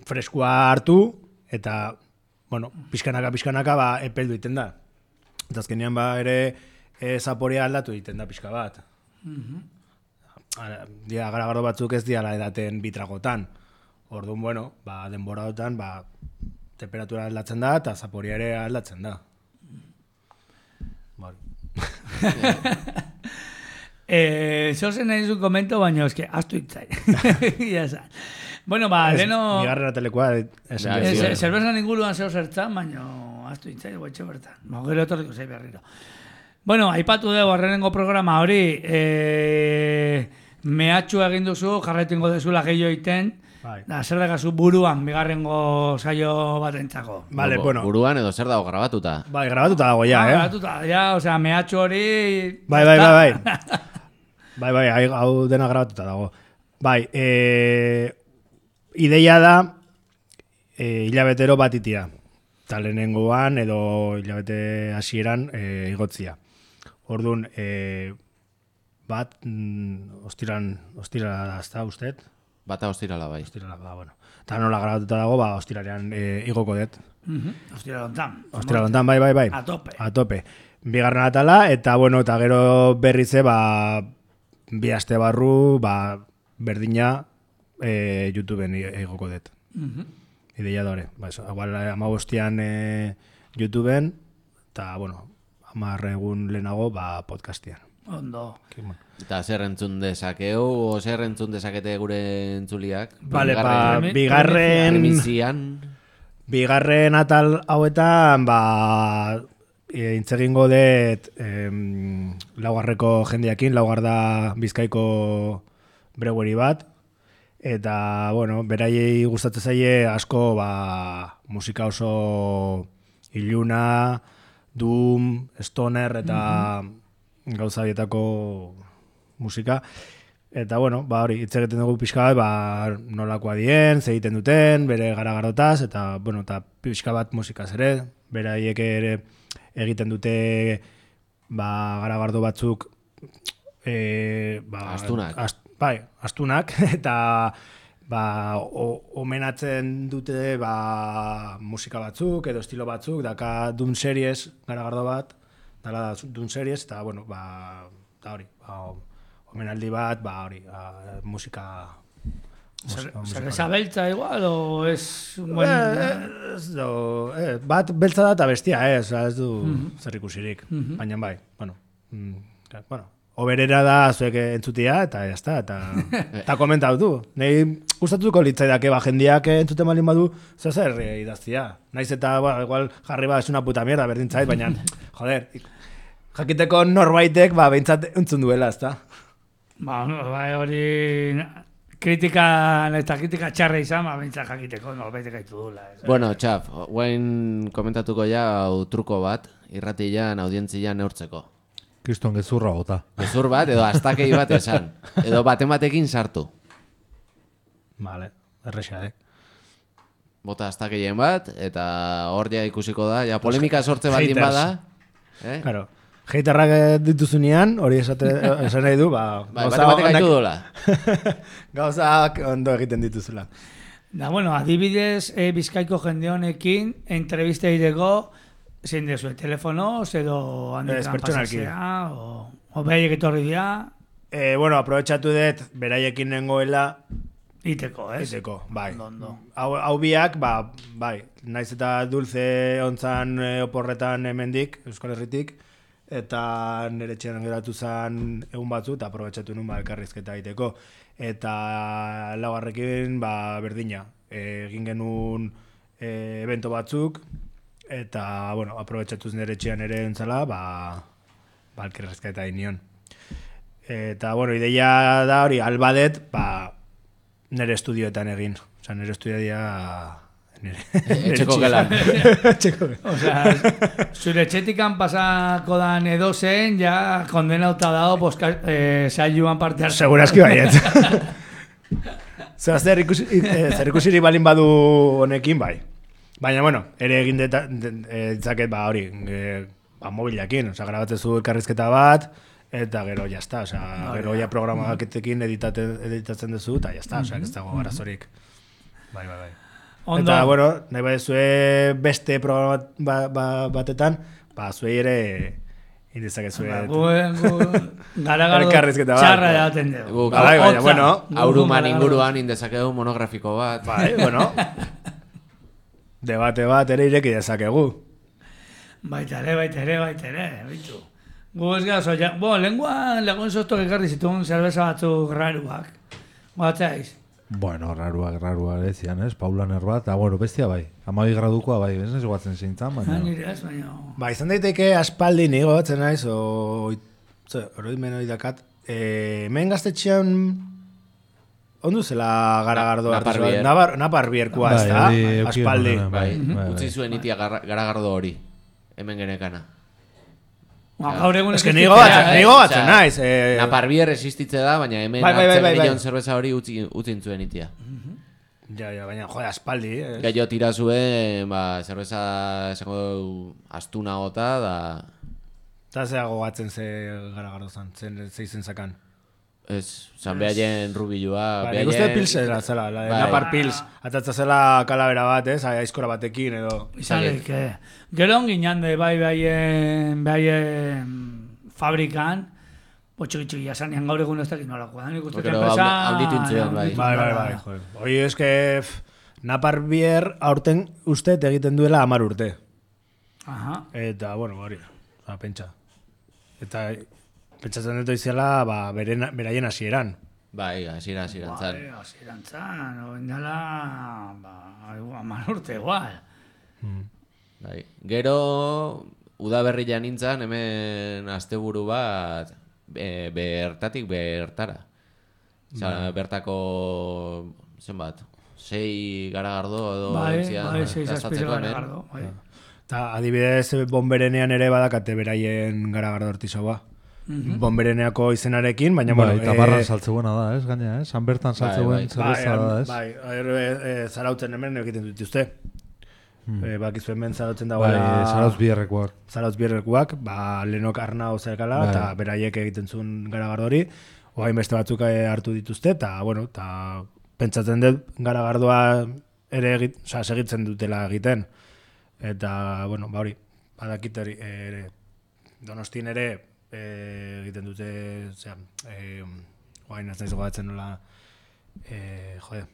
freskua hartu, eta, pixkanaka, epeldu iten da. Eta azkenean, ere, zaporea aldatu iten da pixka bat. Garagardo batzuk ez diala edaten bitragotan. Orduan, denbora dutan, temperatura aldatzen da, eta zaporea ere aldatzen da. Zozen nahi zuen komento, baina eske, astu itzai. Bueno, leno... Bigarren atelekoa. Zerbezan inguruan zeo zertzan, baina astu itzai, guaitxe bertan. Gero etorriko zei berriro. Bueno, aipatu dugu arrenengo programa hori, mehatxu egin duzu, jarretingo dezula gehiago iten, da, zer dagazu buruan, bigarrengo saio bat entzako. Vale, bueno. Buruan edo zer dago grabatuta? Bai, grabatuta dago ya, grabatuta, ja, osea, mehatxu hori... Bai. Bai, hau dena grabatuta dago. Bai, ideia da hilabetero bat itia. Eta lehenengoan edo hilabete hasieran igotzia. Orduan, bat, ostirala da, ez da, usted? Bata ostirala, bai. Ostirala, bueno. Eta nola grabatuta dago, ostiralean igoko dut. Ostiralontan, bai. A tope. Bigarren atala, eta, bueno, eta gero berrize, bi aste barru, berdina YouTubeen igoko dut. Ideia da hori. Igual, 15 YouTubeen, eta, bueno, 10 egun lehenago, podcastian. Ondo. Eta zer entzun dezakeu, o zer entzun dezakete gure entzuliak? Vale, bigarren atal hauetan, intzegingo dut laugarreko jendeakin, laugar da Bizkaiko brewery bat, eta, bueno, beraiei gustatzen zaie asko, musika oso iluna, doom, stoner, eta gauza bietako musika. Eta, bueno, hori, hitz egiten dugu pixka bat, nolakoa dien, ze egiten duten, bere garagarotaz, eta, bueno, eta pixka bat musikaz ere, beraiek ere egiten dute garagardo batzuk astunak. Astunak, eta omenatzen dute musika batzuk, edo estilo batzuk, daka Doom Series garagardo bat, dala Doom Series, eta, bueno, eta hori, omenaldi bat, hori, musika... Zerreza beltza igual, o ez... Bat beltza da eta bestia, ez du zerrikusirik, baina bai, bueno, oberera da zuek entzutia, eta jazta, eta komentatu du. Nei gustatuko litzaidake jendiak entzuten malin badu, zer idaztia. Naiz eta, igual jarri es una puta mierda, berdin zait, baina, joder, jakiteko norbaitek, behintzat entzun duela, ezta? Hori... kritika txarra izan, bintzak jakiteko, bete gaitu dula. Bueno, txaf, guain komentatuko ja truko bat, irratian, audientzia neurtzeko. Kriston gezurra bota. Gezur bat, edo astakei bat esan. Edo baten batekin sartu. Vale, erresa, Bota astakeien bat, eta hor ja ikusiko da, ja polemika sortze baldin bada. Claro. Haterrak dituzunean, hori esan nahi du, bate batek gaitu dola. Gauzak ondo egiten dituzula. Da, bueno, adibidez, Bizkaiko jende honekin, entrevista egiteko, zein dezu, telefonoz, edo handikan pasazea, o behaiek etorri dira. Bueno, aprobetxatu dut, beraiekin nengoela, Iteko, ez? Iteko, bai. Ondo. Hau biak, bai, naiz eta dulce ontzan oporretan hemendik, Euskal Herritik, eta nire txeran geratu zen egun batzu, eta aprobetxatu nun elkarrizketa egiteko. Eta laugarrekin, berdina. Egin genuen evento batzuk, eta, bueno, aprobetxatuz nire txean ere entzala, elkarrizketa egin nion. Eta, bueno, ideia da hori, albadet, nire estudioetan egin. Osa, nire estudioa Etxeko gelan. Osea, zure etxetikan pasako dan edozen, ja kondenauta dago saioan parte hartu. Segurazki baiet. Zer ikusirik balin badu honekin, bai. Baina, bueno, ere egin ditzaket, hori, mobilakin. Osa, grabatzezu elkarrizketa bat, eta gero, jazta. Osa, gero ja programaketekin editatzen duzu, eta jazta. Osa, ez dago arazorik. Bai. Ondo. Eta, bueno, nahi badezue beste programa batetan, zuei ere indizakezue. Garagardo txarra edaten dugu. Baina, bueno. Auruman inguruan indezakegu monografiko bat. Bai, bueno. Debate bat ere ireki dezakegu. Baita ere, bitu. Gu ez gazo, lenguan lagun sostok ekarri zituen zerbeza batzuk raruak. Guatzaiz? Bueno, raruak ezian, ez? Paulaner bat, eta bueno, bestia bai. 12 gradukoa bai, ez guatzen zeintzan, baina... Nire ez, baina... Ba, izan daiteke aspaldi nigo batzen naiz, oroimen hori dakat. Hemen gaztetxean... Ondu zela garagardo Naparbierkoa, ez da? Aspaldi. Utzi zuen itia garagardo hori. Hemen genekana. Gaur egun nigo batzen naiz. Naparbier existitze da, baina hemen hartzen milion zerbeza hori utzin zuen itia. Ja, baina, jode, aspaldi. Gaio tira zuen, zerbeza esango astuna gota, da... Eta zeago batzen ze garagardo zan, ze izen zakan. Ez, zan behaien rubilua. Nik uste pilsera zela, Napar pils. Atatza zela kalabera bat, ez, aizkora batekin edo. Izalek, gero ongin jande behaien fabrikan, txiki jasanean gaur egun ez dakit nolakoa. Nik uste enpresa... Haunditu intzuen, bai. Bai. Hoi eske Naparbier aurten uste egiten duela 10 urte. Aha. Eta, bueno, hori, pentsa. Eta... Pentsatzen dut izela, beraien hasieran. Bai, hasieran zan. Hasieran zan, oindala, 10 urte igual. Bai. Gero, udaberrian nintzen, hemen asteburu bat, bertatik bertara. Bertako, zenbat, 6 garagardo edo... Bai, 6 azpiru garagardo. Eta adibidez, bomberenean ere badakate beraien garagardo artisoa. Bombereneako izenarekin, baina bueno... Eta barran saltzeuena da, ez, gaina, ez? Han bertan saltzeuen zerbeza da, ez? Bai, zarautzen hemen egiten dut uste. Bakizu hemen zarautzen dago... Bai, zarautz bierrekuak. Zarautz bierrekuak, lehenok arnau zerkala, eta beraiek egiten zuen garagardo hori, oain beste batzuk hartu dituzte, eta, bueno, eta pentsatzen dut garagardoa ere segitzen dutela egiten. Eta, bueno, hori, badakit hori, Donostin ere, egiten dute, oain ez naiz gogatzen nola, jode.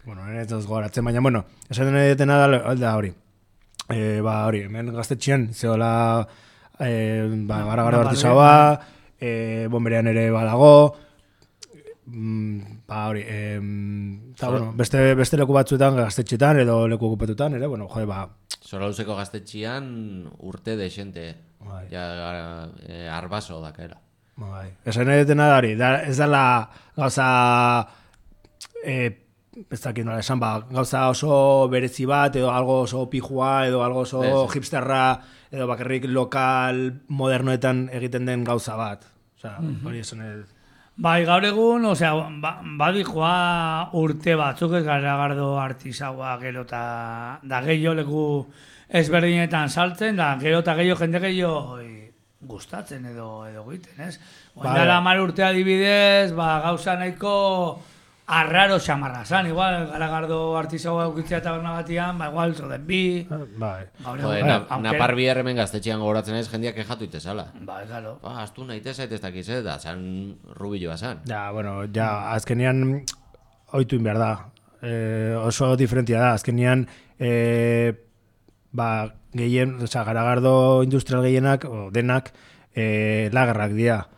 Bueno, ez duz gogatzen, baina, bueno, esaten edetena da hori. Hori, hemen gaztetxean, zehola, garagardo artisaua, bomberean ere badago, hori, eta, bueno, beste leku batzuetan, gaztetxetan, edo leku okupetutan, ere, bueno, jode, Solauzeko gaztetxian urte desente. Ja, arbaso dakaela. Esan edetena da hori, ez dela gauza ez dakit nola esan, gauza oso berezi bat, edo algo oso pijua, edo algo oso hipsterra, edo bakarrik lokal modernoetan egiten den gauza bat. Osea, hori esan ez. Bai, gaur egun, osea, badikoa urte batzuk ez Garagardo artisaua gero eta da gehiago leku ezberdinetan saltzen, da gero eta gehiago jende gehiago gustatzen edo egiten, ez? Oindala 10 urte adibidez, gauza nahiko arraro xamarra zan, igual Garagardo artisaua eukitzea eta bernagatian, igual zoden bi. Bai. Napar bihar hemen gaztetxean gogoratzen ez, jendeak kejatu itezala. Bai, claro. Aztu nahi tezait ez dakiz, da, zan rubiloa zan. Ja, bueno, azkenean oituin behar da. Oso diferentia da, azkenean gehien, Garagardo industrial gehienak, denak, lagarrak dira.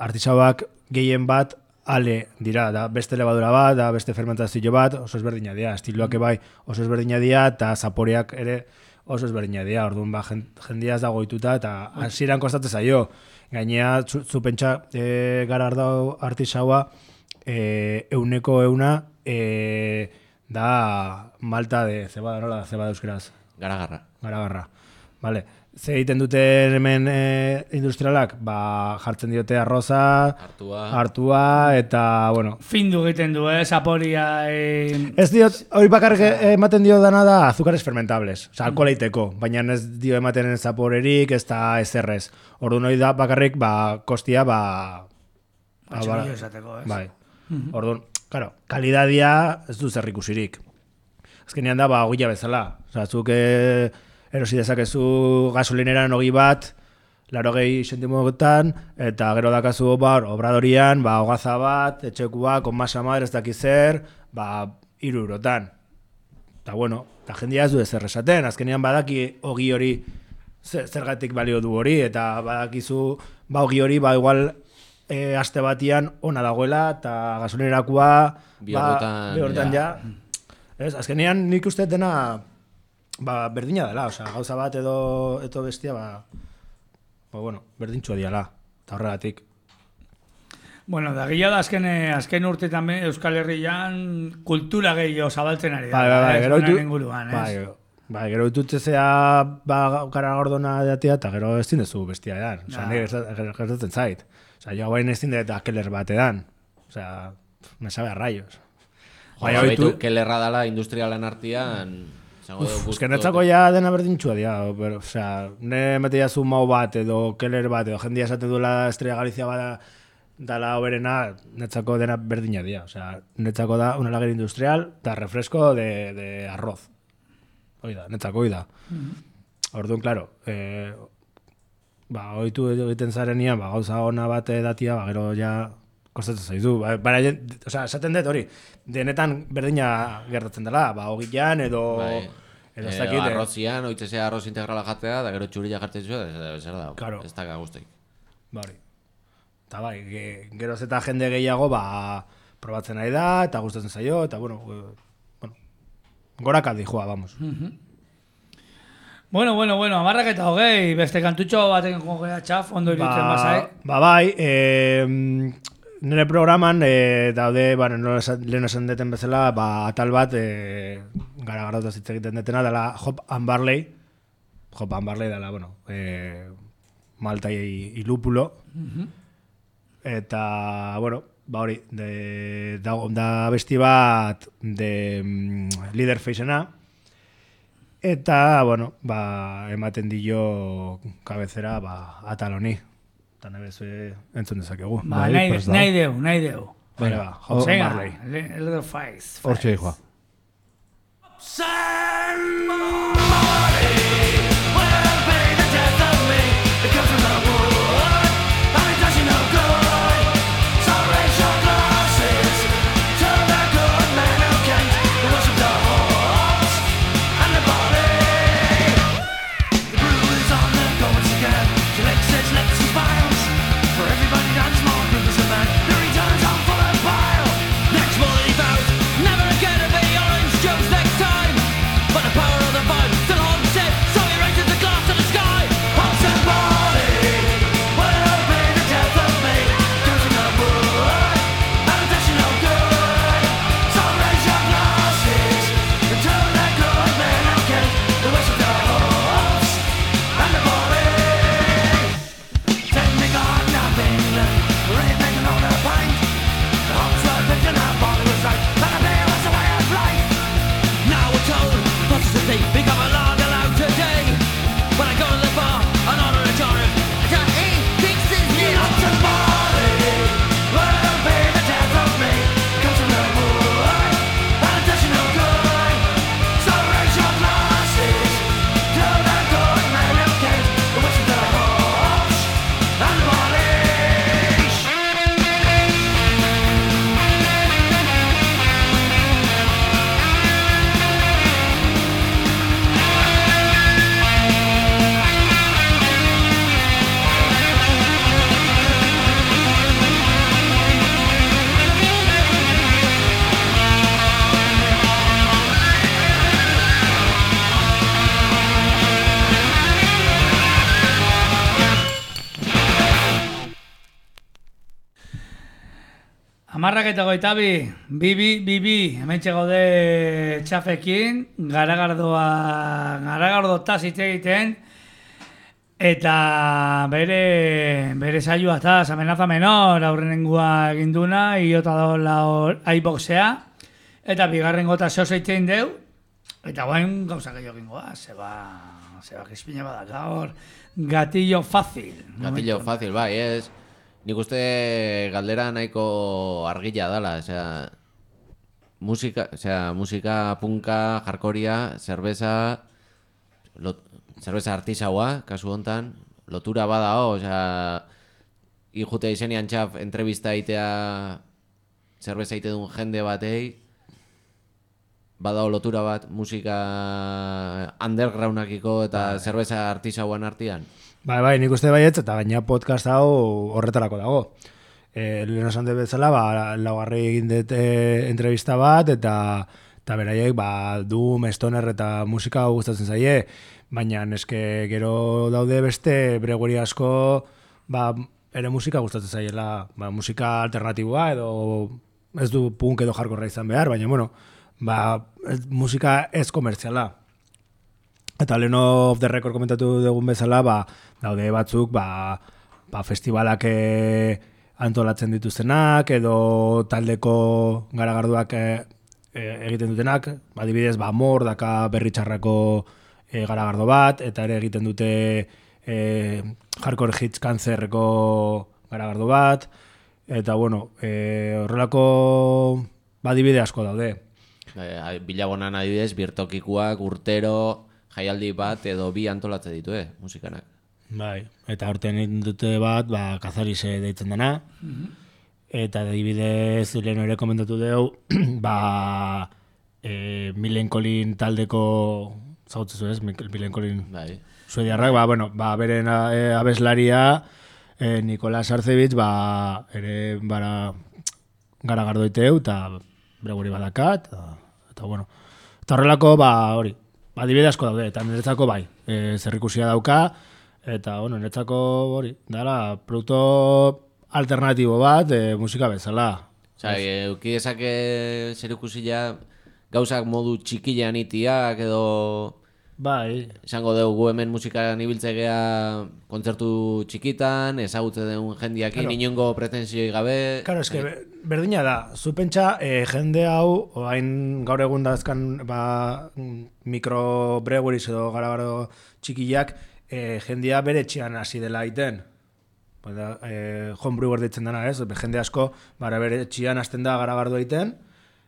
Artisauak gehien bat, ale dira, da beste levadura bat, da beste fermentazio bat, oso ezberdina dira, estiloak bai oso ezberdina dira, eta zaporeak ere oso ezberdina dira, orduan jendia ez dago ituta, eta hasieran kostatzen zaio. Gainea, zu pentsa Garagardo artisaua, 100% da malta de cebada, nola da cebada euskeraz? Garagarra. Vale. Ze egiten duten hemen industrialak, jartzen diote arroza, hartua, eta, bueno... Findu egiten du, zaporia... Ez diot, hori bakarrik ematen dio dana da azukares fermentables, oza, alkoholeiteko, baina ez dio ematen zaporerik, ez da ezerrez. Orduan hori da bakarrik, kostia, Batxorio esateko, ez? Bai. Orduan, claro, kalidadia ez du zer ikusirik. Azkenean da, ogila bezala. Oza, zuk... erosi dezakezu gasolineran 20 bat, 80 zentimotan, eta gero dakazu obradorian, hogaza bat, etxekua, konmasa madre, ez dakiz zer, 3 eurotan. Eta bueno, eta jendia ez du ezer esaten, azkenean badaki ogi hori zergatik balio du hori, eta badakizu ogi hori, igual aste batian ona dagoela, eta gasolinerakoa, bi horretan ja. Azkenean nik uste dena, berdina dela, oza, gauza bat edo bestia, bueno, berdintxua diala, eta horregatik. Bueno, da gila da azken urtetan Euskal Herrian kultura gehiago zabaltzen ari da. Gero ditutzea Garagardona datia, eta gero ez dindezu bestia edan. Oza, nire gertatzen zait. Oza, jo bain ez dindet Keller bat edan. Oza, me sabe a rayos. Baitu Kellerra dala industrialan artian... Netzako ja dena berdintxua dira, ne metia zu mau bat edo Keller bat edo jendia esaten duela Estrella Galizia bat dala oberena, netzako dena berdina dira, netzako da una lager industrial eta refresco de arroz. Oida, netzako oida. Orduan, claro, oitu egiten zarenian, gauza ona bat datia, gero ja kostatzen zaizu. Esaten dut hori, denetan berdina gertatzen dela, ogilan edo... Arrozian, oitzesea arroz integrala jatea, da gero txurila jartzen zuen, zer da, ez da guzteik. Eta geroz eta jende gehiago, probatzen nahi da, eta gustatzen zaio, eta bueno, goraka dijoa, vamos. Bueno, 10:20, beste kantutxo batekin jogea txaf, ondo iritzen bazai. Nire programan daude, lehen esan deten bezala, atal bat Garagardo hitz egiten detena, dela Hop and Barley. Hop and Barley dela, malta y lúpulo. Eta, hori, da besti bat de Leatherface-ena. Eta, ematen dio kabezera atal honi. Eta nebez entzun dezakegu. Nahi deu. Bale, Hop and Barley. Leatherface. Hortxe dijoa. Never again to be orange juice next time, but the power of the bud Bibi, hementxe gaude txafekin, garagardo hitz egiten, eta bere saioa eta amenaza menor aurrenengua eginduna, iota dola iBoxea, eta bigarren gota zeitzein deu, eta guain gauza gehiago gingoa, zeba krispina badak gaur, gatillo fácil. Gatillo fácil, bai, ez. Nik uste galdera nahiko argila dala, musika punka, jarkoria, cerveza artisaua, kasu hontan, lotura badao, ijutea izenian txaf entrevista itea cerveza ite duen jende batei, badao lotura bat musika undergroundakiko eta cerveza artisauan artean. Bai, nik uste baietz, eta gaina podcast hau horretarako dago. Lehen esan dut bezala, laugarri egin dut entrevista bat, eta beraiek, Doom, Stoner eta musika gustatzen zaie, baina eske gero daude beste breguri asko, ere musika gustatzen zaiela, musika alternatiboa, edo ez du punk edo hardcore izan behar, baina, bueno, musika ez komertziala. Eta lehen of the record komentatu dugun bezala, daude batzuk, festivalak antolatzen dituztenak, edo taldeko garagarduak egiten dutenak, adibidez, Mor daka Berritxarrako garagardo bat, eta ere egiten dute Hardcore Hits Cancerreko garagardo bat, eta bueno, horrelako adibide asko daude. Bilabonan adibidez, birtokikuak, urtero, jaialdi bat edo bi antolatze ditu, musikanak. Bai, eta horten egin dute bat, Kazarize deitzen dena, eta adibidez lehen ere komentatu dugu, Millencolin taldeko, zagutzezu ez, Millencolin suediarrak, beren abeslaria, Nikolas Arcevitz, ere garagardo iteu, eta breguri badakat, eta bueno, eta horrelako, hori, adibide asko daude, eta niretzako zerrikusia dauka, eta niretzako hori, dara, produkto alternatibo bat, musika bezala. Eukidezake zerrikusia gauzak modu txikilean itiak, edo... Bai. Esango dugu hemen musikaran ibiltzegea kontzertu txikitan, ezagutze den jendiakin, inongo pretensioi gabe... Claro, eske berdina da, zu pentsa jende hau, oain gaur egun dazkan mikrobreguris edo garagardo txikiak, jendia bere etxean hasi dela iten. Homebrewer ditzen dena, ez? Jende asko bere etxean hasten da garagardo iten,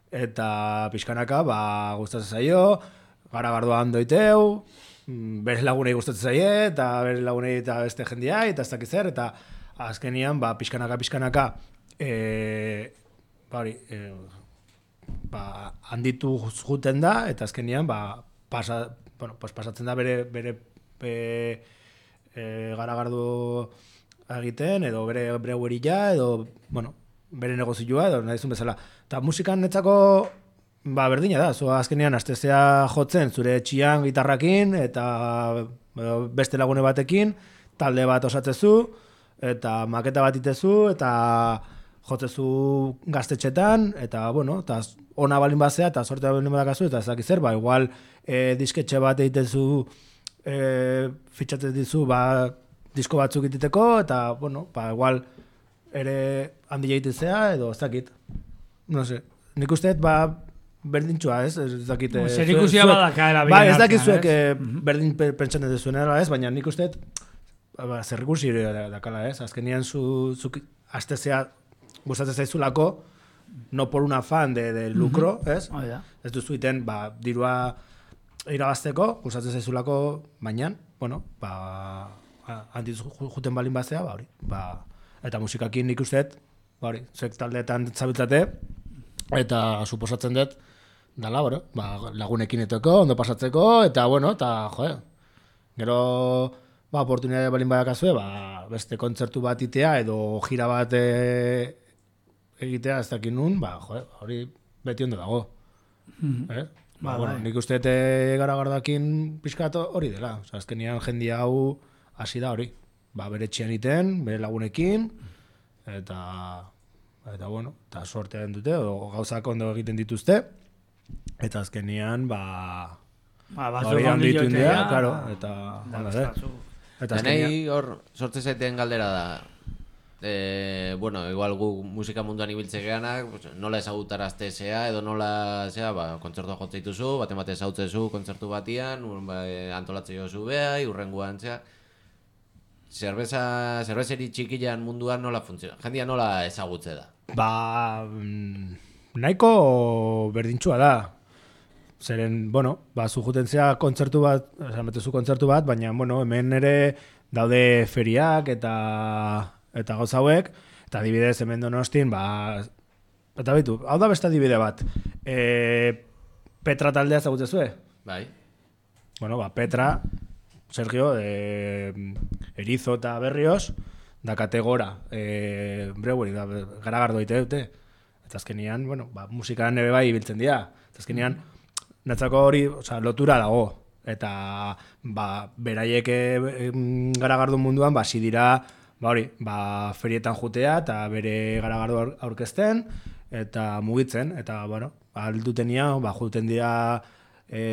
eta pixkanaka gustatzen zaio, garagardoa hando iteu, bere lagunei gustatzen zaie, eta bere lagunei eta beste jendia, eta ez dakiz zer, eta azkenian, pixkanaka, handitu juten da, eta azkenian, pasatzen da bere garagardo egiten, edo bere breueria, edo, bere negozioa, edo nahi zuen bezala. Eta musikan netzako, berdina da, azkenean astezea jotzen zure etxian gitarrakin eta beste lagune batekin, talde bat osatzezu, eta maketa bat itezu, eta jotzezu gaztetxetan, eta eta ona balin bazea, eta sortea balin badakazu, eta ez dakiz zer, igual disketxe bat egitezu, fitxatzen dizu, disko batzuk ititeko, eta, igual ere handi egitezea, edo ez dakit. No sé, nik usteet, berdintxua, ez? Zerikusia badaka ez dakizuek berdin pentsatzen duzuenera, ez? Baina nik usteet zerrikusi dakala, ez? Azkenian zuk astezea gustatzen zaizulako, no por un afán de lucro, ez? Ez duzu iten, dirua irabazteko, gustatzen zaizulako bainan, handiz juten balin bazea, hori. Eta musikakin nik usteet, zuek taldeetan zabiltzate, eta suposatzen dut, dala, lagunekin etoko, ondo pasatzeko, eta, gero, oportunidade balin badakazue, beste kontzertu bat itea, edo gira bat egitea, ez dakin nun, hori beti ondo dago. Nik uste garagardakin pixkat hori dela, azkenian jendia hau hasi da hori, bere txian iten, bere lagunekin, eta Eta bueno, eta sortean dute, o gauzak ondo egiten dituzte, eta azkenian, batzuk hori handitu onditu india, ja, claro, eta... Eta Denei hor sortze zaiten galdera da. Bueno, igual gu musika munduan ibiltze geanak, pues, nola ezagutarazte zea, edo nola zea, kontzertua jotze dituzu, baten bate ezautzezu kontzertu batian, antolatze jozu behai, urrenguan zea. Zerbezeri txikian munduan nola funtziona? Jendia nola ezagutze da? Nahiko berdintxua da. Zeren, bueno, zujuten zea kontzertu bat, metezu kontzertu bat, baina, bueno, hemen ere daude feriak eta gauza hauek, eta adibidez hemen Donostin, eta bitu, hau da beste adibide bat. Petra taldea ezagutzezue? Bai. Bueno, Petra, Sergio, Erizo eta Berrios, da kategora, Brewery, garagardo ite dute. Eta azkenian, bueno, musikan ere bai ibiltzen dira. Eta azkenian, natzako hori, lotura dago. Eta, beraiek garagardo munduan, hasi dira, ferietan jutea, eta bere garagardo aurkezten, eta mugitzen, eta, bueno, aldutenia, juten dira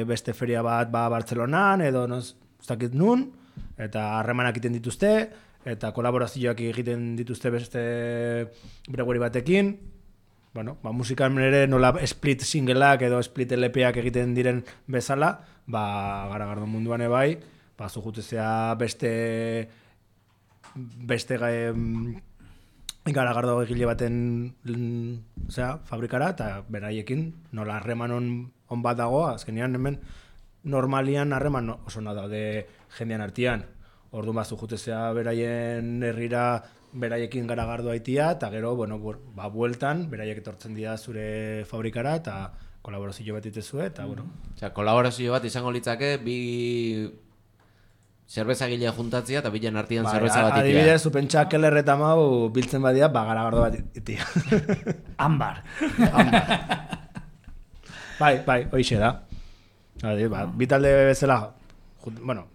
beste feria bat, Bartzelonan, edo, ez dakit nun, eta harremanak egiten dituzte, eta kolaborazioak egiten dituzte beste brewery batekin. Bueno, musikan ere nola split singleak edo split LPak egiten diren bezala, garagardo munduan ebai, zujutezea beste garagardo egile baten fabrikara, eta beraiekin nola harreman on bat dago, azkenean hemen normalian harreman oso nada daude jendean artean. Orduan zujutezea beraien herrira beraiekin garagardo haitia, eta gero, bueno, bueltan, beraiek etortzen dira zure fabrikara, eta kolaborazio bat itezue, eta, bueno. Osea, kolaborazio bat izango litzake, bi zerbezagile juntatzia, eta bilen artean zerbeza bat itia. Adibidez, zupentsa Keller eta Mau biltzen badia, garagardo bat itia. Ambar. Bai, hoixe da. Bi talde bezala, bueno,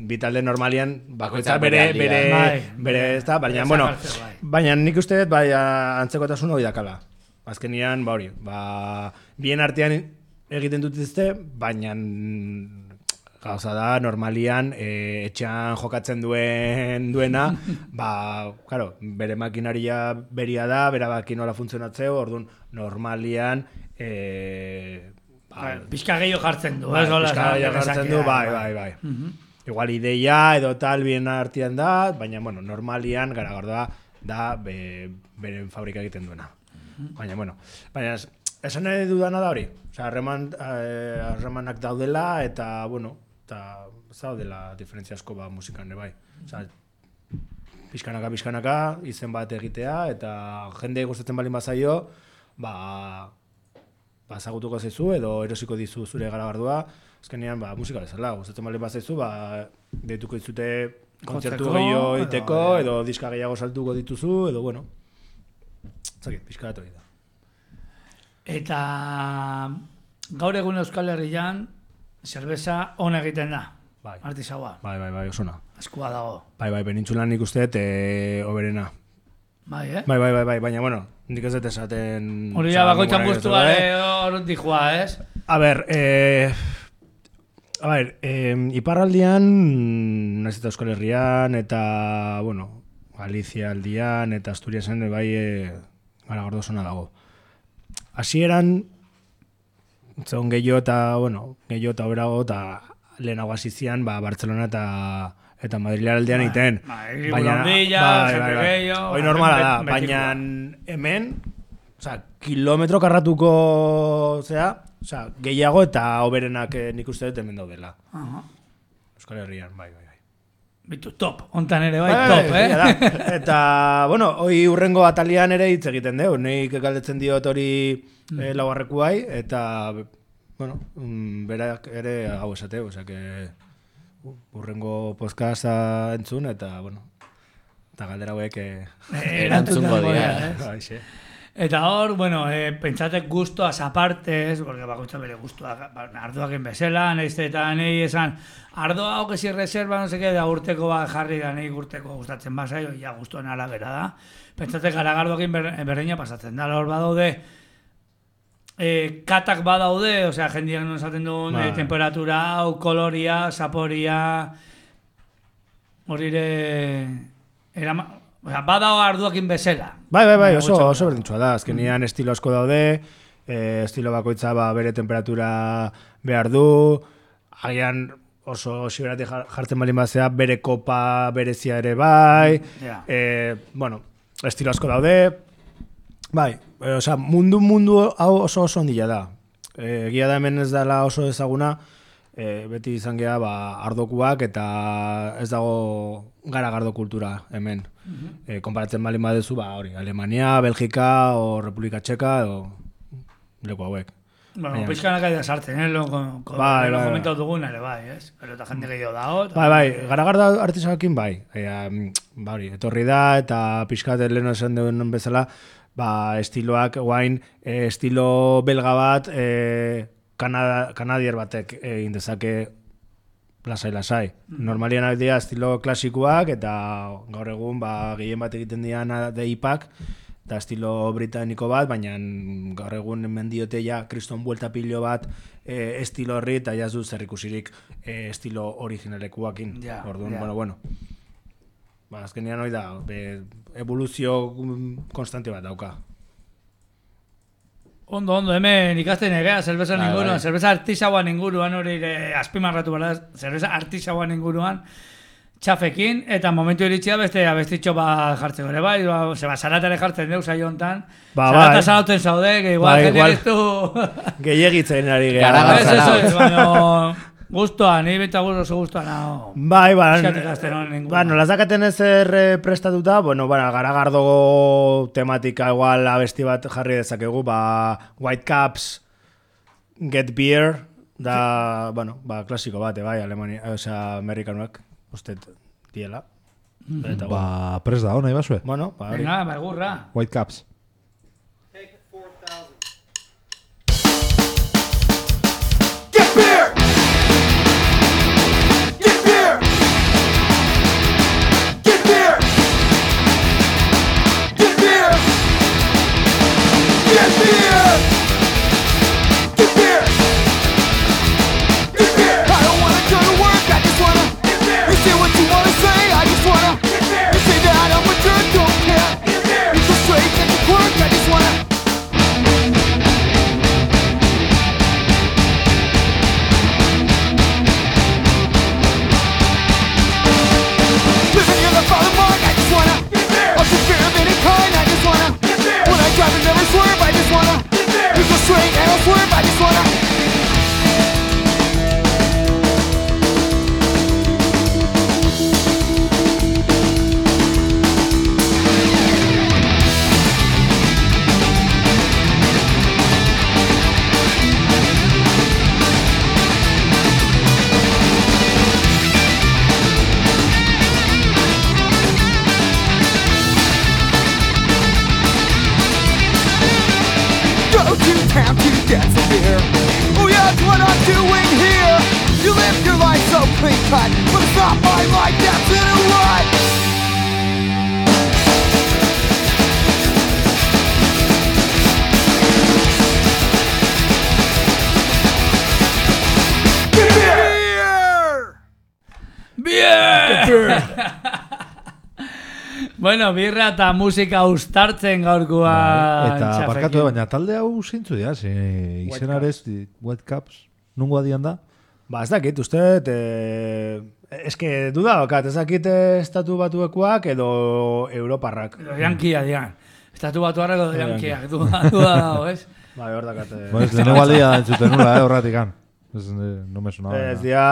bi talde normalian bakoitza bere ez da, baina, bueno, baina nik uste dut, antzekotasun hori dakala. Azkenian, bien artean egiten dutizte, baina gauza da, normalian, etxean jokatzen duena, claro, bere makinaria beria da, bere makinola funtzionatzeo, orduan, normalian, pixka gehiago jartzen du. Pixka gehiago jartzen du, bai. Igual ideia edo tal bien artean da, baina, bueno, normalian garagardoa da beren fabrika egiten duena. Baina, bueno, esan nahi dudana da hori. Harremanak daudela eta, bueno, eta zaudela diferentzia asko musikan bai. Pixkanaka, izen bat egitea, eta jende gustatzen balin bazaio, zagutuko zaizu edo erosiko dizu zure garagardua, azkenean musika bezala, gustatzen baldin bazaizu, deituko dizute kontzertu gehiago egiteko edo diska gehiago saltuko dituzu edo bueno. Zakit, pixka bat hori da. Eta gaur egun Euskal Herrian zerbeza ona egiten da. Artisaua. Bai, osona. Eskua dago. Bai, penintzulan nik uste oberena. Bai, baina, bueno, nik ez dut esaten... Hori da, bakoitzan bustuare hor dihua, ez? Iparraldian, nahiz eta Euskal Herrian, eta, bueno, Galizia aldian, eta Asturiasen, garagardo zona dago. Hasieran, zegoen gehiago eta berago, eta lehenago hasizian, Bartzelona eta Madrid aldean egiten. Hoi normala da, baina hemen, kilometro karratuko gehiago eta oberenak nik uste dut hemen daudela. Euskal Herrian, bai. Bitu, top, ontan ere top, Eta, bueno, hoi urrengo atalian ere hitz egiten deu, nik galdetzen diot hori laugarrekuai, eta, bueno, berak ere hau esateu, urrengo podcasta entzun, eta, bueno, eta galdera hauek erantzungo dira. Eta hor, bueno, pentsatek gustoaz apartez, porque bakoitza bere gustoak, ardoak bezala, eta nahi esan, ardoa hau que si reserva, no sé qué, da urteko bat jarri da, nahi urteko gustatzen bazaio, ja gustoen arabera da. Pentsatek garagardoak berdina pasatzen da, hor badaude, katak badaude, osea, jendeak non esaten duen, temperatura, hau, koloria, saporia, horire, badao arduakin bezala. Bai, oso berdintxua da. Azkenian estilo asko daude, estilo bakoitza bere temperatura behar du, agian oso xiberati jartzen balin bazea, bere kopa berezia ere bai, bueno, estilo asko daude, bai, mundu hau oso ondila da. Egia da hemen ez dela oso ezaguna, beti izan geha ardokuak eta ez dago garagardo kultura hemen. Konparatzen balin badezu, hori, Alemania, Belgika, o Republika Txeka, o leku hauek. Bueno, pixkanak aida sartzen, lo komentau dugun ere, bai, ez? Pero eta jende gehiago dago. Bai, garagardo artisakakin bai. Hori, etorri da eta pixkat leheno esan duen bezala, estiloak, guain, estilo belga bat, kanadier batek egin dezake lasai. Normalian dira estilo klasikoak eta gaur egun gehien bat egiten dian deipak eta estilo britaniko bat, baina gaur egun mendiote ja kriston buelta pilo bat estilo horri eta jazu zerrikusirik estilo originalekuakin. Orduan, bueno. Azkenean hori da, evoluzio konstante bat dauka. Ondo, hemen ikasten egea, zerbeza inguruan, zerbeza artisauan inguruan, hori azpimarratu bera, zerbeza artisauan inguruan, txafekin, eta momentu iritsia beste abestitxo bat jartzeko ere, bai, zaratare jartzen deu saio hontan, zarata zarauten zaude, que igual generistu... Gehiagitzen ari geha. Gustoa, ni beta oso gustoa nago. Bai, nolaz dakaten ezer prestatuta, garagardo tematika igual abesti bat jarri dezakegu, White Caps, Get Beer, da, klasiko bate, bai, Alemania, amerikanuak, usted, diela. Prest da, nahi basue? Venga, gurra. White Caps. Take 4,000. Get beer! Bueno, birra eta musika ustartzen gaurkoa. Eta barkatu, baina talde hau zeintzu dira, izenarez, White Caps, nungo adian da? Ez dakit, uste, eske duda bakat, ez dakit estatu batuekuak edo europarrak. Edo jankia dian. Estatu batuarrak edo jankiak, duda dago, ez? Hor dakat. Lehenengo aldia entzuten nula, horratikan. No me sonaba. Ez dia,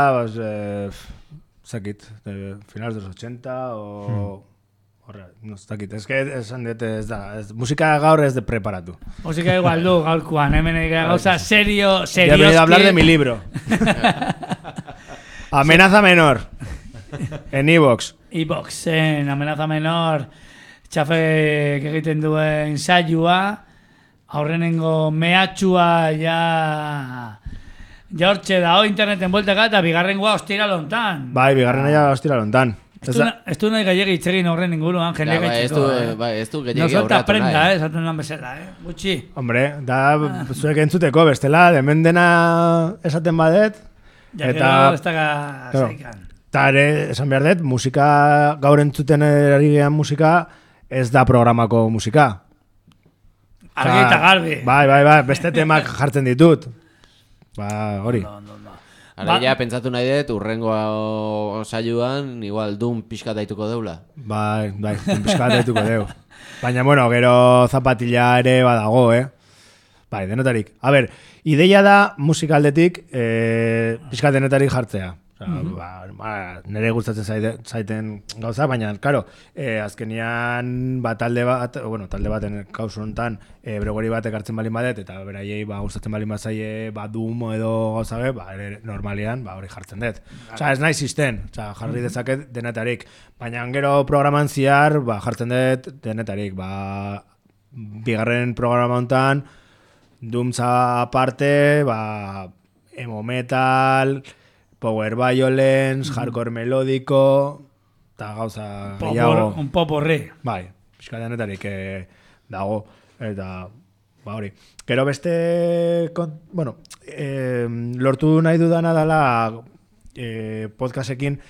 zakit, finales de los 80 o... Horra, no ez dakit, esan dut ez da, musika gaur ez de preparatu. Musika igual du gaurkoan, hemen gauza serioski. Ya he venido a hablar de mi libro. Amenaza menor. En iVoox. En Amenaza menor, txafek egiten duen saioa, aurrenengo mehatxua ja hortxe da, interneten bueltaka eta bigarrengoa ostira lontan. Bai, bigarrena ja ostira lontan. Ez du nahi gehiagi itzegin horren inguruan, jende gaitxiko. Ez du gehiagi No solta aurratu prenda, nahi. esaten lan bezala, gutxi. Hombre, da zuek entzuteko bestela, hemen dena esaten badet. Ja, Eta- gero ez daga Claro. zaikan. Eta ere, esan behar dut, musika, gaur entzuten ari gehan musika, ez da programako musika. Argi eta garbi. Bai, beste temak jartzen ditut. Ba, hori. Ara ja, pentsatu nahi dut, urrengo saioan, igual dun pixka daituko deula. Bai, pixka bat dituko deu. Baina, bueno, gero zapatilla ere badago, Bai, denotarik. A ber, ideia da musikaldetik pixka denetarik jartzea. Nire gustatzen zaiten gauza, baina, karo, azkenian talde baten kausu honetan bregori bat ekartzen balin badet, eta beraiei gustatzen balin bazaie Doom edo gauza ere normalian hori jartzen dut. Osa, ez nahi zisten, jarri dezaket denetarik, baina gero programan ziar jartzen dut denetarik, bigarren programa honetan, Doomza aparte, emo metal, power violence, hardcore melódico, eta gauza gehiago. Un pop horri. Bai, pixka denetarik dago, eta hori. Gero beste, lortu nahi dudana dela podcastekin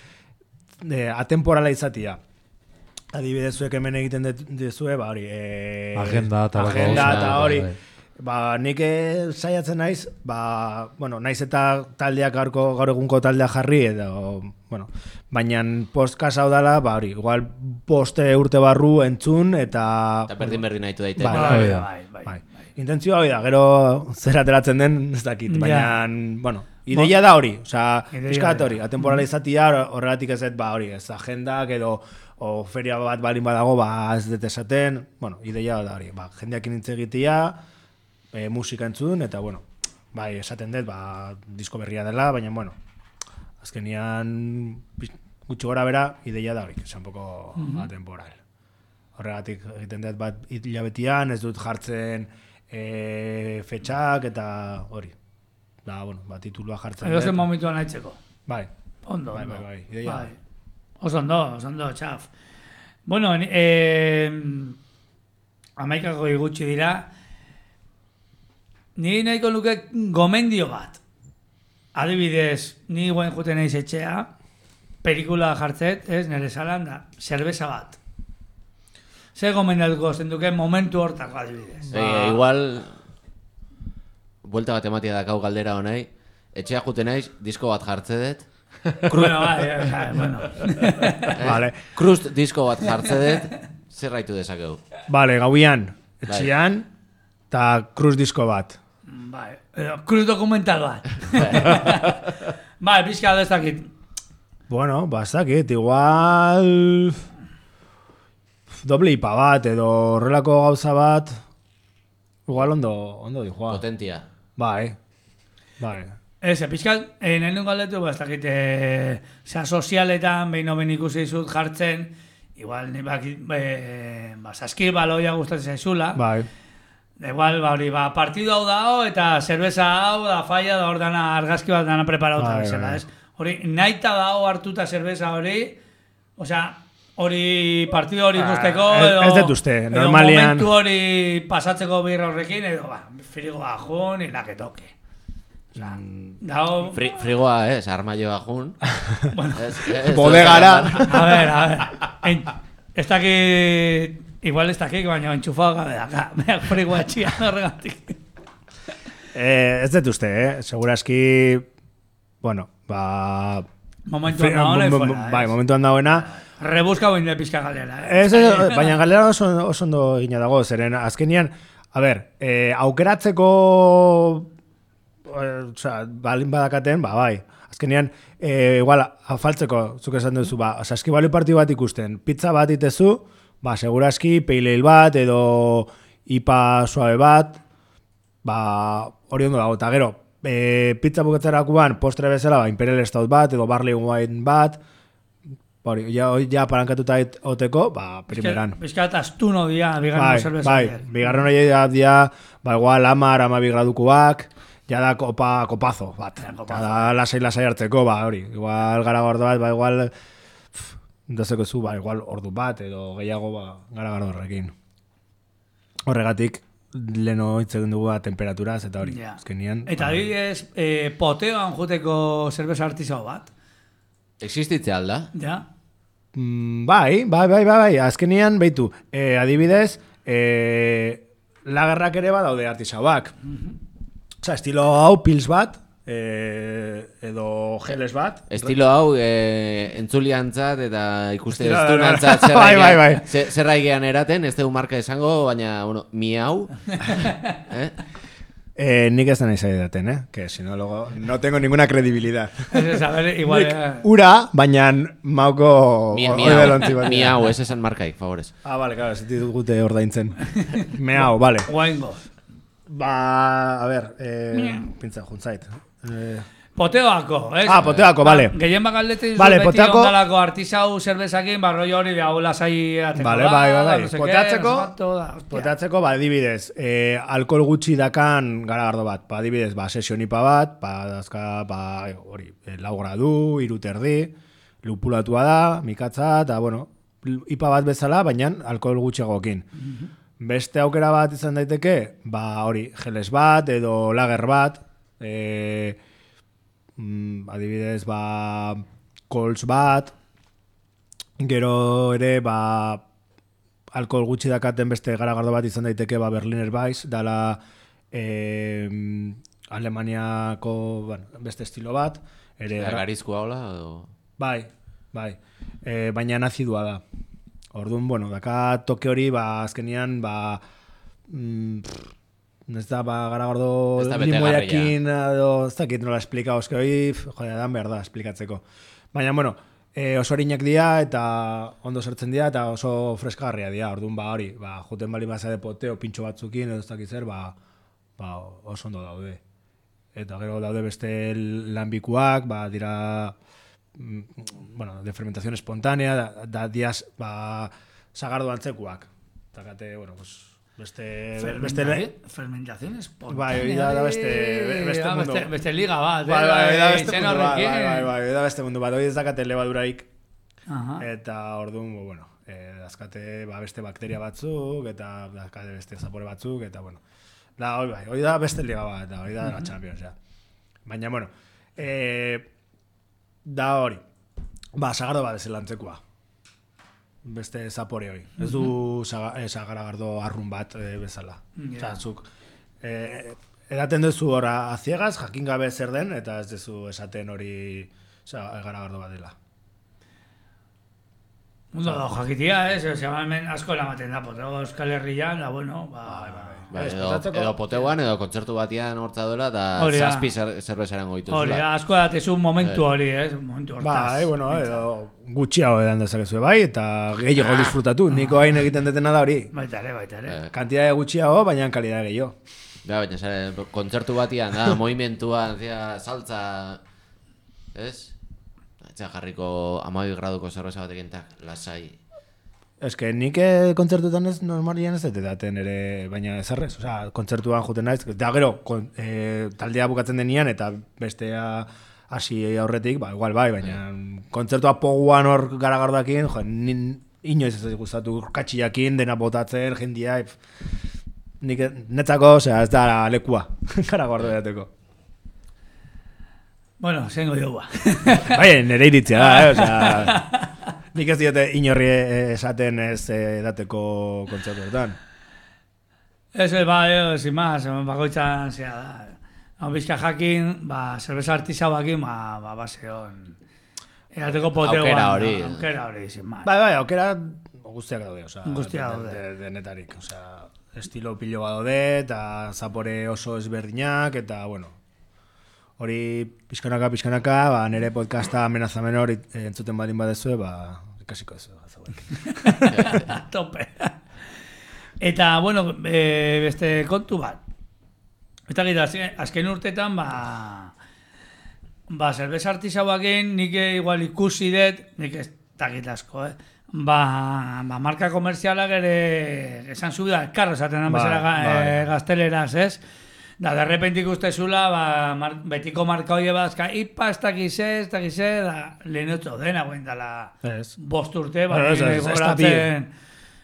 atemporala izatia. Adibidez zuek hemen egiten dezue, hori. Agenda eta hori. Nik saiatzen naiz, naiz eta taldeak gaur egunko taldea jarri, edo, baina podcast hau dela, hori, igual poste urte barru entzun, eta... Eta berdin nahitu daite. Bai. Intentzioa hori da, gero zer ateratzen den, ez dakit, baina, ideia da hori, pixkat hori, atemporala izatia, horregatik ez hori, ez agendak, edo feria bat balin badago, ez dut esaten, ideia da hori, jendeak intz egitea, musika entzun, eta, bai, esaten dut, disko berria dela, baina, azkenian, gutxi gora bera, ideia da hori, esan poko atemporal. Horregatik egiten dut bat hilabetian, ez dut jartzen fetxak, eta hori. Titulua jartzen dut. Edo zen momentuan haitzeko. Bai. Ondo. Bai, ideia. Oso ondo, txaf. Bueno, amaikako gutxi dira, ni nahiko nuke gomendio bat. Adibidez, ni guen juten naiz etxea, pelikula jartzet, nire salan da, zerbeza bat. Zer gomendatuko zenduke momentu hortako adibidez. Igual, buelta bat ematia dakau galdera honai, etxea juten naiz, disko bat jartze dut. Bueno. Vale. Krust disko bat jartze dut, zer raitu dezakegu. Vale, gauian, etxean, eta kruz disko bat. Bai, kruz dokumental bat. Bai, pixka da ez dakit. Bueno, ez dakit, igual... doble ipa bat, edo horrelako gauza bat, igual ondo dijoa. Potentia. Bai. Ez, pixkat, nahi nun galdetu, ez dakit, sozialetan, behin ikusi dizut jartzen, igual, saskir baloia gustatzen zaizula. Bai. Igual, partidu hau dao, eta zerbeza hau, da falla, da hor dana argazki bat dana preparauta bezala, ez? Hori, naita dao hartuta zerbeza hori, osea, hori partidu hori ikusteko, ez dut uste, normalian... Edo momentu hori pasatzeko birra horrekin, edo, frigoa jun, ilaketoke. Frigoa, armaioa jun. Bodegara. A ver. Ez dakit... Igual ez dakik, baina entxufao gabe daka. Beak frigoa etxian horregatik. Ez dut uste, Seguraski... Momentuan dagoena fuera. Bai, momentuan dagoena. Rebuzka boin de pizka galera. Baina galera oso ondo gina dago, zeren azkenian, aukeratzeko balin badakaten, bai. Azkenian, igual, afaltzeko, zuk esan duzu, saskibalo partidu bat ikusten, pizza bat itezu, seguraski, pale ale bat, edo IPA suabe bat, hori ondo dago, eta gero, pizza bukatzerakoan postre bezala, Imperial Stout bat, edo Barley Wine bat, hori, ja parankatuta oteko, ba, primeran. Bizkat astuno dia, bigarren zerbeza. Bai, bigarren hori dia, ba, igual 10-12 gradukoak, ja da kopazo, bat. Ja da lasai hartzeko, ba, hori. Igual garagardo bat, ba, igual, dazeko zu, ba, igual ordu bat, edo gehiago, ba, garagardo horrekin. Horregatik, leno hitz egin dugu temperaturaz, eta hori, azkenian. Eta adibidez, poteoan juteko zerbeza artisau bat. Existitzea alda? Ja. Bai, azkenian, beitu, adibidez, lagerrak ere badaude artisauak. Osa, estilo hau pils bat, edo geles bat. Estilo hau entzuliantzat eta ikuste Estilo- estunantzat Bai. zerraigean eraten, ez dugu marka esango, baina, bueno, miau. Nik ez da nahi zaidaten, que si no, luego no tengo ninguna credibilidad. Ez, a ver, igual... Nik ura, baina mauko oibelontzi bat. Miau, ez esan markaik, favorez. Vale, claro, ez ditut gute ordaintzen. Meau, vale. Guaingo. Ba, a ver, pintza juntzait. Poteoako, ez? Poteoako, vale. Gehien bakaldete dizu Vale, beti poteoako- ondalako artisau zerbezakin, barroi hori hau lasai ateko Vale, bai. no sé qué, Poteatzeko, no sé cuánto da, hostia. poteatzeko, ba, adibidez, alkohol gutxi dakan garagardo bat. Ba, adibidez, ba, sesionipa bat, ba, dazka, ba, hori, 4 gradu, 3 terdi, lupulatua da, mikatza, eta, bueno, ipa bat bezala, baina alkohol gutxiagokin. Beste aukera bat izan daiteke, ba, hori, geles bat, edo lager bat, adibidez, ba, kols bat, gero ere, ba, alkohol gutxi dakaten beste garagardo bat izan daiteke, ba, Berliner Weiss, dala Alemaniako, bueno, beste estilo bat, ere... Garizkoa hola, edo... Bai. Baina nazidua da. Orduan, bueno, daka toke hori, ba, azkenian, ba, ez da, ba, garagardo Ez da betegarria. limoiakin, edo, ez dakit nola esplika, oske hori, joder, dan behar da, esplikatzeko. Baina, bueno, oso harinak dira, eta ondo sartzen dira, eta oso freskagarria dira, orduan, ba, hori, ba, juten bali mazade poteo, pintxo batzukin, edo ez dakit zer, ba, oso ondo daude. Eta gero daude beste lanbikuak, ba, dira... bueno, de fermentación espontánea, da días, ba, sagardo antzekuak. Takate, bueno, pues, beste... Fermentación espontánea. Bai, da beste mundu. Beste liga bat. Bai, da beste izen mundu bat, horrekin. bai, da beste mundu bat. Hoi ez dakate lebaduraik, Aha. eta orduan, bueno, dazkate, ba, beste bakteria batzuk, eta dazkate beste zapore batzuk, eta, bueno, da, hoi da beste liga bat, hoi da la Champions, ja. Baina, bueno, da hori, ba, sagardo bat ez lantzekoa. Beste zapore hori. Ez du sagaragardo arrun bat bezala. Osa, zuk, edaten duzu ora a ciegas, jakin gabe zer den, eta ez duzu esaten hori garagardo bat dela. Mundo da, jakitia, ez? Osea, hemen asko eramaten da, poteo Euskal Herrian, da, bueno, Bai, edo poteuan, edo kontzertu batian hortza duela, eta Hori da. zazpi zerbezaren goitu hori, asko datezu momentu hori, ez? Momentu hortaz. Bai, bueno, edo gutxiago edan dezakezu bai, eta gehiago disfrutatu. Niko hain egiten detena da hori. Baita ere. Kantidade gutxiago, baina kalidade gehiago. Ja, baina zare, kontzertu batian, da, movimentua, saltza, ez? Etxea jarriko 12 graduko zerbeza batekin, lasai. Ez que nik kontzertutan ez normalian ez dut daten ere, baina ezarrez. Osea, kontzertuan juten naiz, da gero, taldea bukatzen denian, eta bestea hasi aurretik, ba, igual bai, baina kontzertua poguan hor garagardakin, jo, inoiz ez gustatu katxiakin, dena botatzen, jendia, nik netzako, osea, ez da lekua, garagardo dateko. Bueno, zengo dugu. Bai, nire iritzia da, osea... Nik ez diote inorri esaten ez dateko kontzertuetan. Ez, sin más, bakoitzan zea da. Hau bizka jakin, zerbeza artisauakin, baseon. Edateko poteuan. Aukera hori, sin más. Bai, aukera guztiak daude, osea. Guztiak daude. Denetarik, osea, estilo piloa daude, eta zapore oso ezberdinak, eta, bueno, hori pixkanaka, nire podcasta amenazamen hori entzuten badin badezue, ikasiko ez Tope. Eta, bueno, beste kontu bat. Eta gira, azken urtetan, zerbeza artisauakin nik igual ikusi dut, nik takit asko, Ba, marka komerzialak ere esan zu da, karro esaten den bezala gazteleraz, ez? Da, derrepente ikustezula, betiko marka hori bazka, ipa, ez dakize, da, lehenotzo dena guen dela bost urte, goratzen,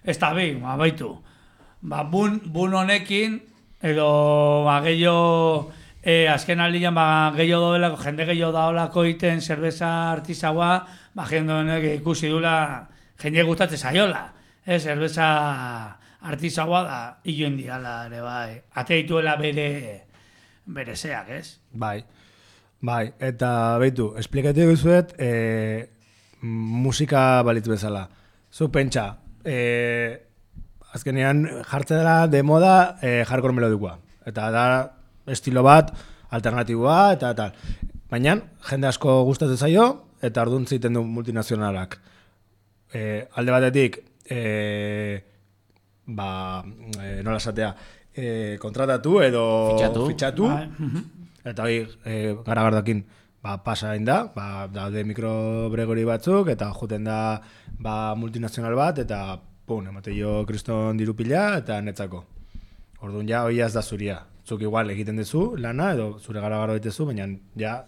ez da bi, baitu. Ba, bun honekin, edo, gehiago, azken aldian, gehiago doelako, jende gehiago daolako iten zerbeza artisaua, jende honek ikusi dula, jende gustatzen zaiola, zerbeza artisaua da, hiloen diala ere bai, ate dituela bere zeak, ez? Bai, eta behitu, esplikatu guzuet, musika balitz bezala. Zu pentsa, azkenean jartzen dela de moda hardcore melodikoa. Eta da estilo bat, alternatiboa, eta tal. Baina, jende asko gustatzen zaio, eta orduan ziten du multinazionalak. Alde batetik, nola esatea, kontratatu edo fitxatu. Eta hori, garagardakin pasa hain da, daude mikrobregori batzuk, eta joten da multinazional bat, eta emate jo kriston dirupila, eta netzako. Orduan ja, hori ez da zuria. Zuk igual egiten duzu lana, edo zure garagardo ditezu, baina ja...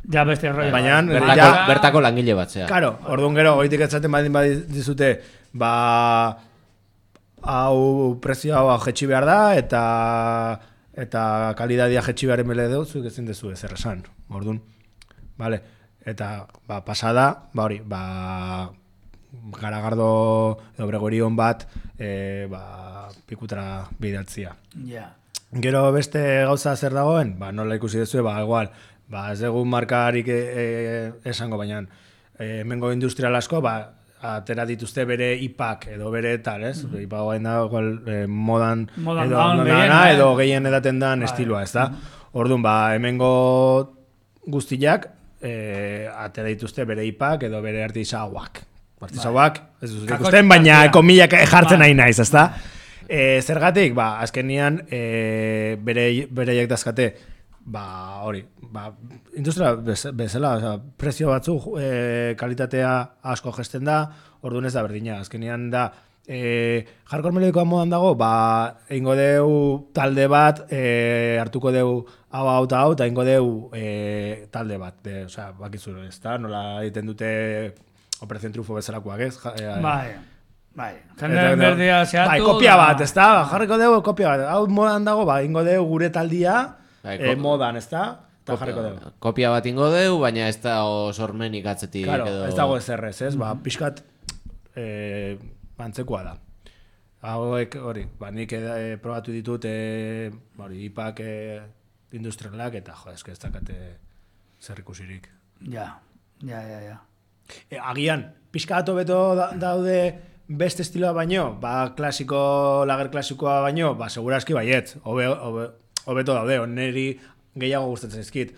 Ja beste rollo. Bertako langile bat, zea. Karo, orduan gero, oitik etzaten dizute, hau prezio hau jetxi behar da, eta kalidadia jetxi behar emele dut, zuk ezin dezu ezer esan. Orduan, vale. Eta, pasada, hori, garagardo edo bregorion bat, pikutara bidaltzia. Ja. Gero beste gauza zer dagoen, nola ikusi dezu, igual, ez egun markarik esango, baina hemengo industrial asko, atera dituzte bere ipak edo bere tal, ez? Ipak gain da, modan edo gehien edaten dan estiloa, ez da? Orduan, hemengo guztiak atera dituzte bere ipak edo bere artisauak. Artisauak, ez dut ikusten, baina komilak jartzen nahi naiz, ez da? Zergatik, azkenian bereiek dazkate, hori, industria bezala, prezio batzuk kalitatea asko gesten da, orduan ez da berdina, azkenian da, hardcore melodikoa modan dago, eingo deu talde bat, hartuko deu hau eta eingo deu talde bat, osea, bakizuro, ez da, nola egiten dute Operación Triunfo bezalakoak, ez? Bai, jende berdia zehatu. Kopia bat, ez da, jarriko dugu kopia bat. Hau modan dago, ingo dugu gure taldia, modan, ez da, eta jarriko dugu. Kopia bat ingo dugu, baina ez da sormenik atzetik. Claro, ez dago ezerrez, ez? Pixkat antzekoa da. Hauek, hori, nik probatu ditut, ipak industrialak, eta ez dakate zer ikusirik. Ja. Agian, pixkatu beto daude beste estiloa baino, lager klasikoa baino, segurazki baiet, hobeto daude, neri gehiago gustatzen ezkit,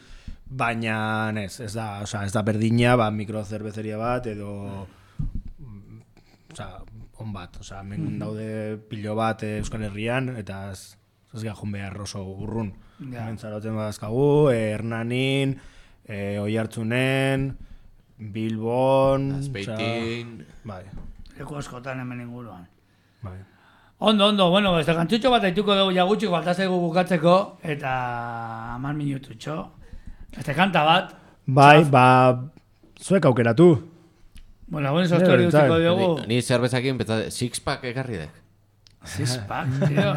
baina ez da berdina, mikrocerbezeria bat, edo on bat, hemen daude pilo bat Euskal Herrian, eta ez gajun behar oso urrun. Hemen zaroten badazkagu, Hernanin, Oiartzunen, Bilbon, Azpeitin, leku askotan hemen inguruan. Ondo, bueno, beste kantutxo bat haituko dugu jagutxik, baltazaigu bukatzeko, eta 10 minututxo. Este kanta bat. Zuek aukeratu. Bueno, sostori utziko dugu. Ni zerbezakin, six-pack ekarri dek. Six-pack, tío.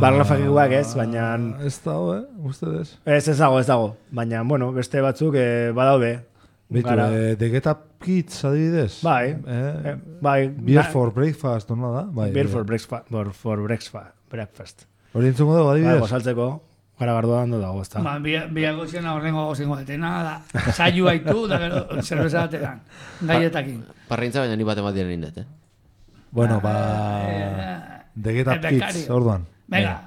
Barlafakiguak ez, baina... Ez dago, ustedes? Ez dago. Baina, bueno, beste batzuk badaude. Bitu, The Get Up Kids adibidez? Beer for Breakfast, no da? Beer for Breakfast. Hori entzungo dago adibidez? Gosaltzeko, garagardoa hando dago, ez da. Biako ziena horrengo gozingo detena, da, saio haitu, da gero, zerbeza batean, gaietakin. Parrintza baina ni bat ematen indet, Bueno, The Get Up Kids, orduan. Venga.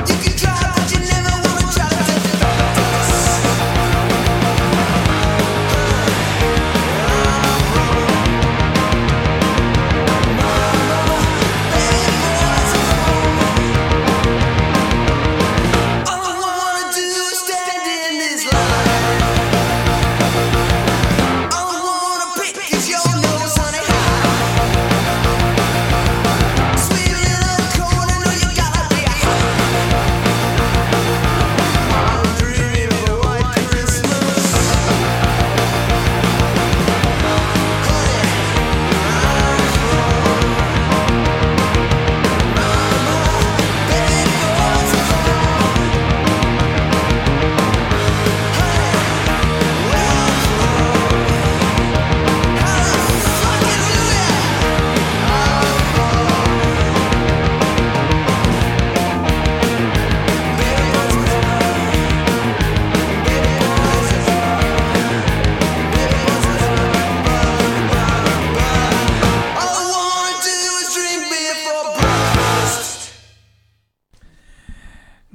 You can try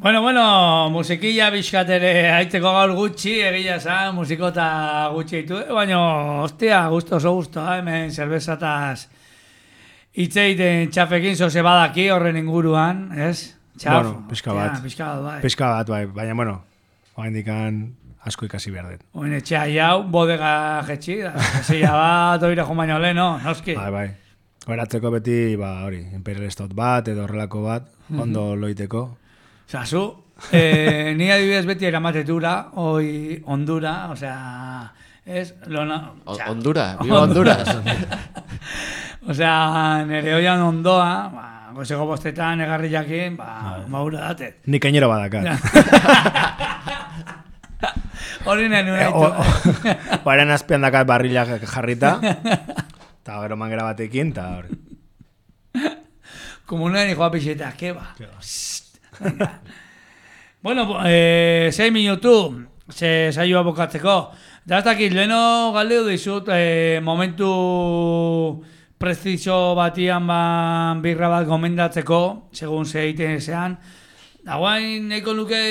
Bueno, musikilla bizkat ere aiteko gaur gutxi, egia esan, musikota gutxi ditu, baina, hostia, oso gusto, hemen zerbezataz hitz egiten txafekin zoze badaki horren inguruan, ez? Txaf, Bueno, pixka bat. bai. Pixka bat, bai, baina, bueno, indikan asko ikasi behar dut. Oin etxea jau, bodega jetxi, da, zila bat, oire jo baino leheno, noski. Bai. Horatzeko beti, hori, Imperial Stout bat, edo horrelako bat, ondo loiteko. Zazu, ni adibidez beti eramatetura, hoi Hondura, osea, ez? Hondura, viva Honduras. Osea, nire hoian ondoa, goizeko bostetan, egarri jakin, maura datet. Ni kainero badakat. Hori nahi nuen ditu. Baren azpian dakat barrilak jarrita, eta gero mangera batekin, eta hori. Komunen hijoa pixeta, keba. Bueno, 6 minutu, saioa bokatzeko. Da ez dakit, leheno galdeu dizut, momentu preciso batian birra bat gomendatzeko, segun ze egiten ezean. Da guain nahiko nuke,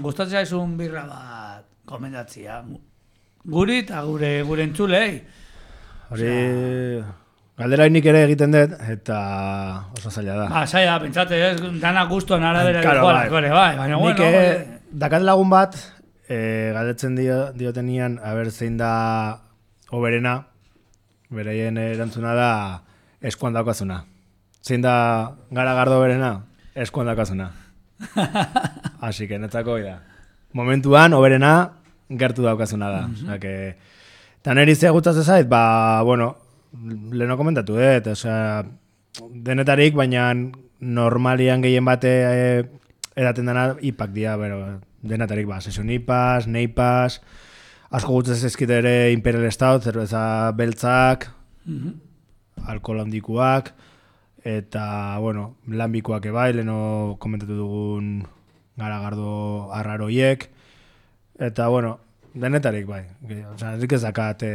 gustatzen zaizun birra bat gomendatzia. Guri eta gure entzulei. Hori... Galdera nik ere egiten dut, eta oso zaila da. Zaila, pentsate, ez, dana guztuan arabera bai. Baina, nik dakat lagun bat, galdetzen diotenian, zein da oberena, beraien erantzuna da eskuan daukazuna. Zein da garagardo oberena, eskuan daukazuna. Así que netzako da. Momentuan, oberena, gertu daukazuna da. Eta niri ze gustatzen zait, bueno, leheno komentatu, osea, denetarik, baina normalian gehien bate edaten dena ipak dira, denetarik, session ipas, neipas, asko gutzen ezkite ere Imperial Stout, zerbeza beltzak, alkohol handikuak, eta, bueno, lanbikoak ebai, leheno komentatu dugun garagardo arraroiek, eta, bueno, denetarik, bai, osea, nik ez dakat,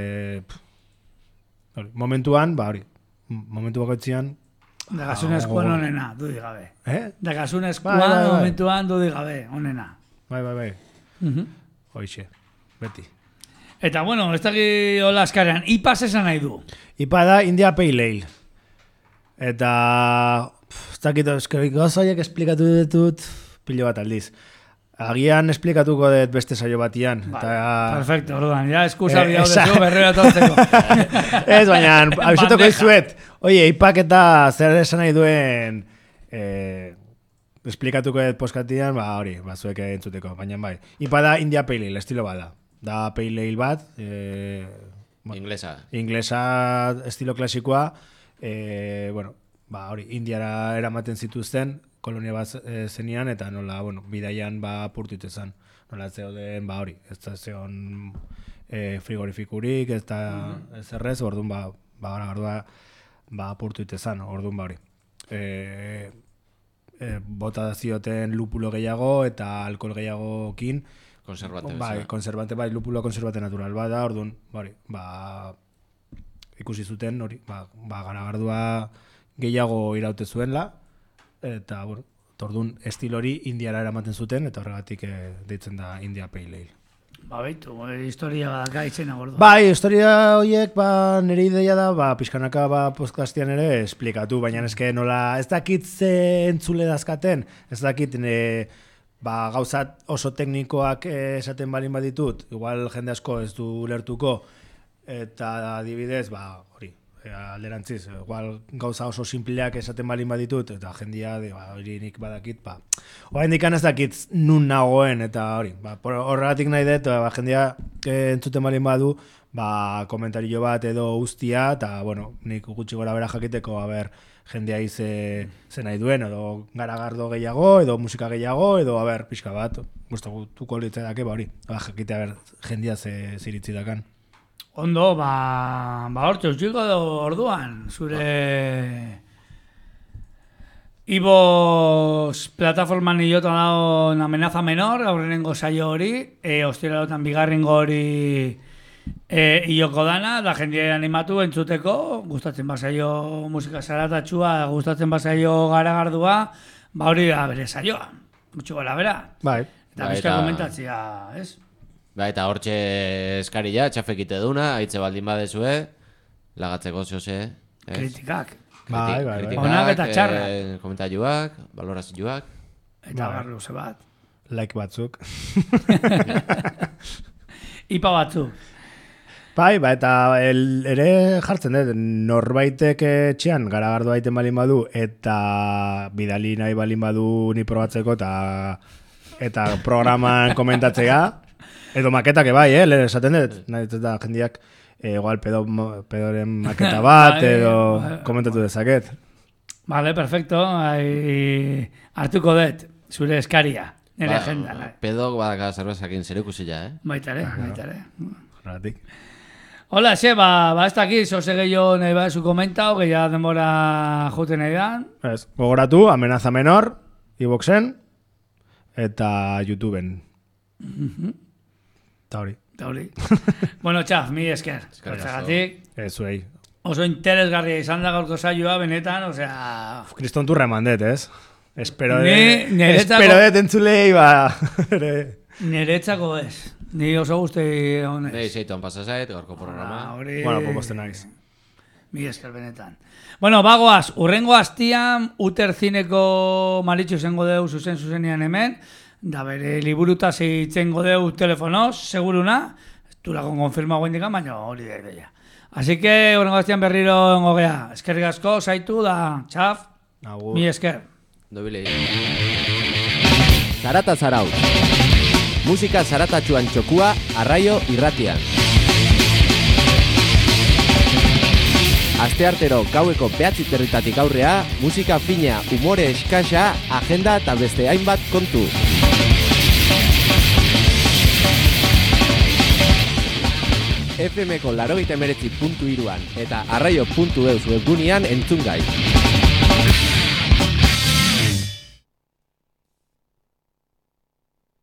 momentuan, hori, momentu bakoitzian... Dagasun eskuan onena, dudik gabe. Dagasun Bai. eskuan momentuan dudik gabe, onena. Bai. Hoixe, beti. Eta, bueno, ez daki hola askarean, IPAs esan nahi du. IPA da India Pale Ale. Eta... Ez dakit, gauzaiek esplikatu ditut pilo bat aldiz. Agian esplikatuko dut beste saio batian. Perfecto, orduan, ja eskusa bidau dezu berrera tortzeko. Ez, baina, abizatuko izuet. Oie, ipak eta zer esan nahi duen esplikatuko dut poskatian, hori, zuek entzuteko. Baina bai, ipa da India Pale Ale, estilo bada. Da Pale Ale bat. Inglesa estilo klasikoa. Bueno, hori, Indiara eramaten zituzten, kolonia bat zenian, eta nola, bueno, bidaian purtuite zen. Nola zeuden, hori, ez da zeon frigorifikurik, ez da zerrez, orduan, gardua, purtuite zen, orduan, hori. Bota zioten lupulo gehiago, eta alkohol gehiagokin. Konservante, lupulo konservante natural bada, orduan, hori, ikusi zuten, hori, gardua gehiago iraute zuenla, eta, bueno, tordun estilo hori Indiara eramaten zuten, eta horregatik deitzen da India Pale Ale. Baitu, historia badaka itzena gordo. Bai, historia horiek, nire ideia da, pixkanaka podcastian ere esplikatu, baina eske nola, ez dakit ze entzule dazkaten, ez dakit gauzat oso teknikoak esaten balin baditut, igual jende asko ez du lertuko, eta adibidez, hori, alderantziz, igual gauza oso simpleak esaten balin baditut, eta jendia, hori nik badakit, orain dikan ez dakit nun nagoen, eta hori, horregatik nahi dut, jendia entzuten balin badu, komentario bat edo guztia, eta, bueno, nik gutxi gora bera jakiteko, jendea ze nahi duen, edo garagardo gehiago, edo musika gehiago, edo, pixka bat, guztuko litzedake, hori, jakitea, jendia ze iritzi dakan. Ondo, hortxe, utxiko orduan, zure Ibos plataforman hilota dago Amenaza Menor, aurrenengo saio hori, ostiralotan bigarrengo hori hiloko dana, da jendea animatu entzuteko, gustatzen basaio musika zaratatxua, gustatzen basaio garagardua, ba hori da bere saioa. Gutxi gora bera. Bai. Eta Bai, bizka eta- komentatzia, ez? Ba, eta hortxe eskaria, txafekite duna, aitze baldin badezue, lagatzeko zehose. Kritikak. Bai. Onak eta txarrak. Komentariuak, valorazioak. Eta barluze bat. Like batzuk. Ipa batzuk. Bai, eta ere jartzen dut, norbaitek etxean garagardo aiten balin badu, eta bidali nahi balin badu ni probatzeko, eta programan komentatzea, edo maketak bai, lehen esaten dut, nahi dut da jendiak, igual pedoren maketa bat, Bai, edo bai. komentatu dezaket. Vale, perfecto. Hartuko dut, zure eskaria. Nire Ba, agendan. pedok badaka zerbezakin zer ikusila, Baita ere. Horregatik. Hola, ba ez dakit, zoze gehiago nahi bat zu komentau, gehiago denbora juten nahi dan. Ez, gogoratu, Amenaza Menor, iVoxen, eta YouTubeen. Eta hori. Eta hori. Bueno, txaf, mi esker. Hortzagatik, Zuei. oso interesgarria izan da gaurko saioa, benetan, osea... Kriston turra eman dut, ez? Espero Niretzako- dut entzulei, ba... Niretzako ez. Ni oso guzti honez. Nei, zeituan pasazait, gorko programa. Hori... Bueno, posten naiz. Mi esker benetan. Bueno, bagoaz, urrengo hastian Uter Zineko Maritxu zengo deu zuzenean hemen, da bere liburutaz itzengo deu telefonoz, seguruna, ez durakon konfirmago indikan, baina hori da ideia. Así que, urrengo hastian berriro engo gea. Eskerrik asko, zaitu da, txaf, Agur. mi esker. Dobilei. Zarata zarau. Musika zaratatxuan txokua, arraio irratian. Asteartero gaueko 9:00 aurrea, musika fina, umore eskasa, agenda eta beste hainbat kontu. FM-ko 89.3an eta arraio.eus webgunean entzun gai.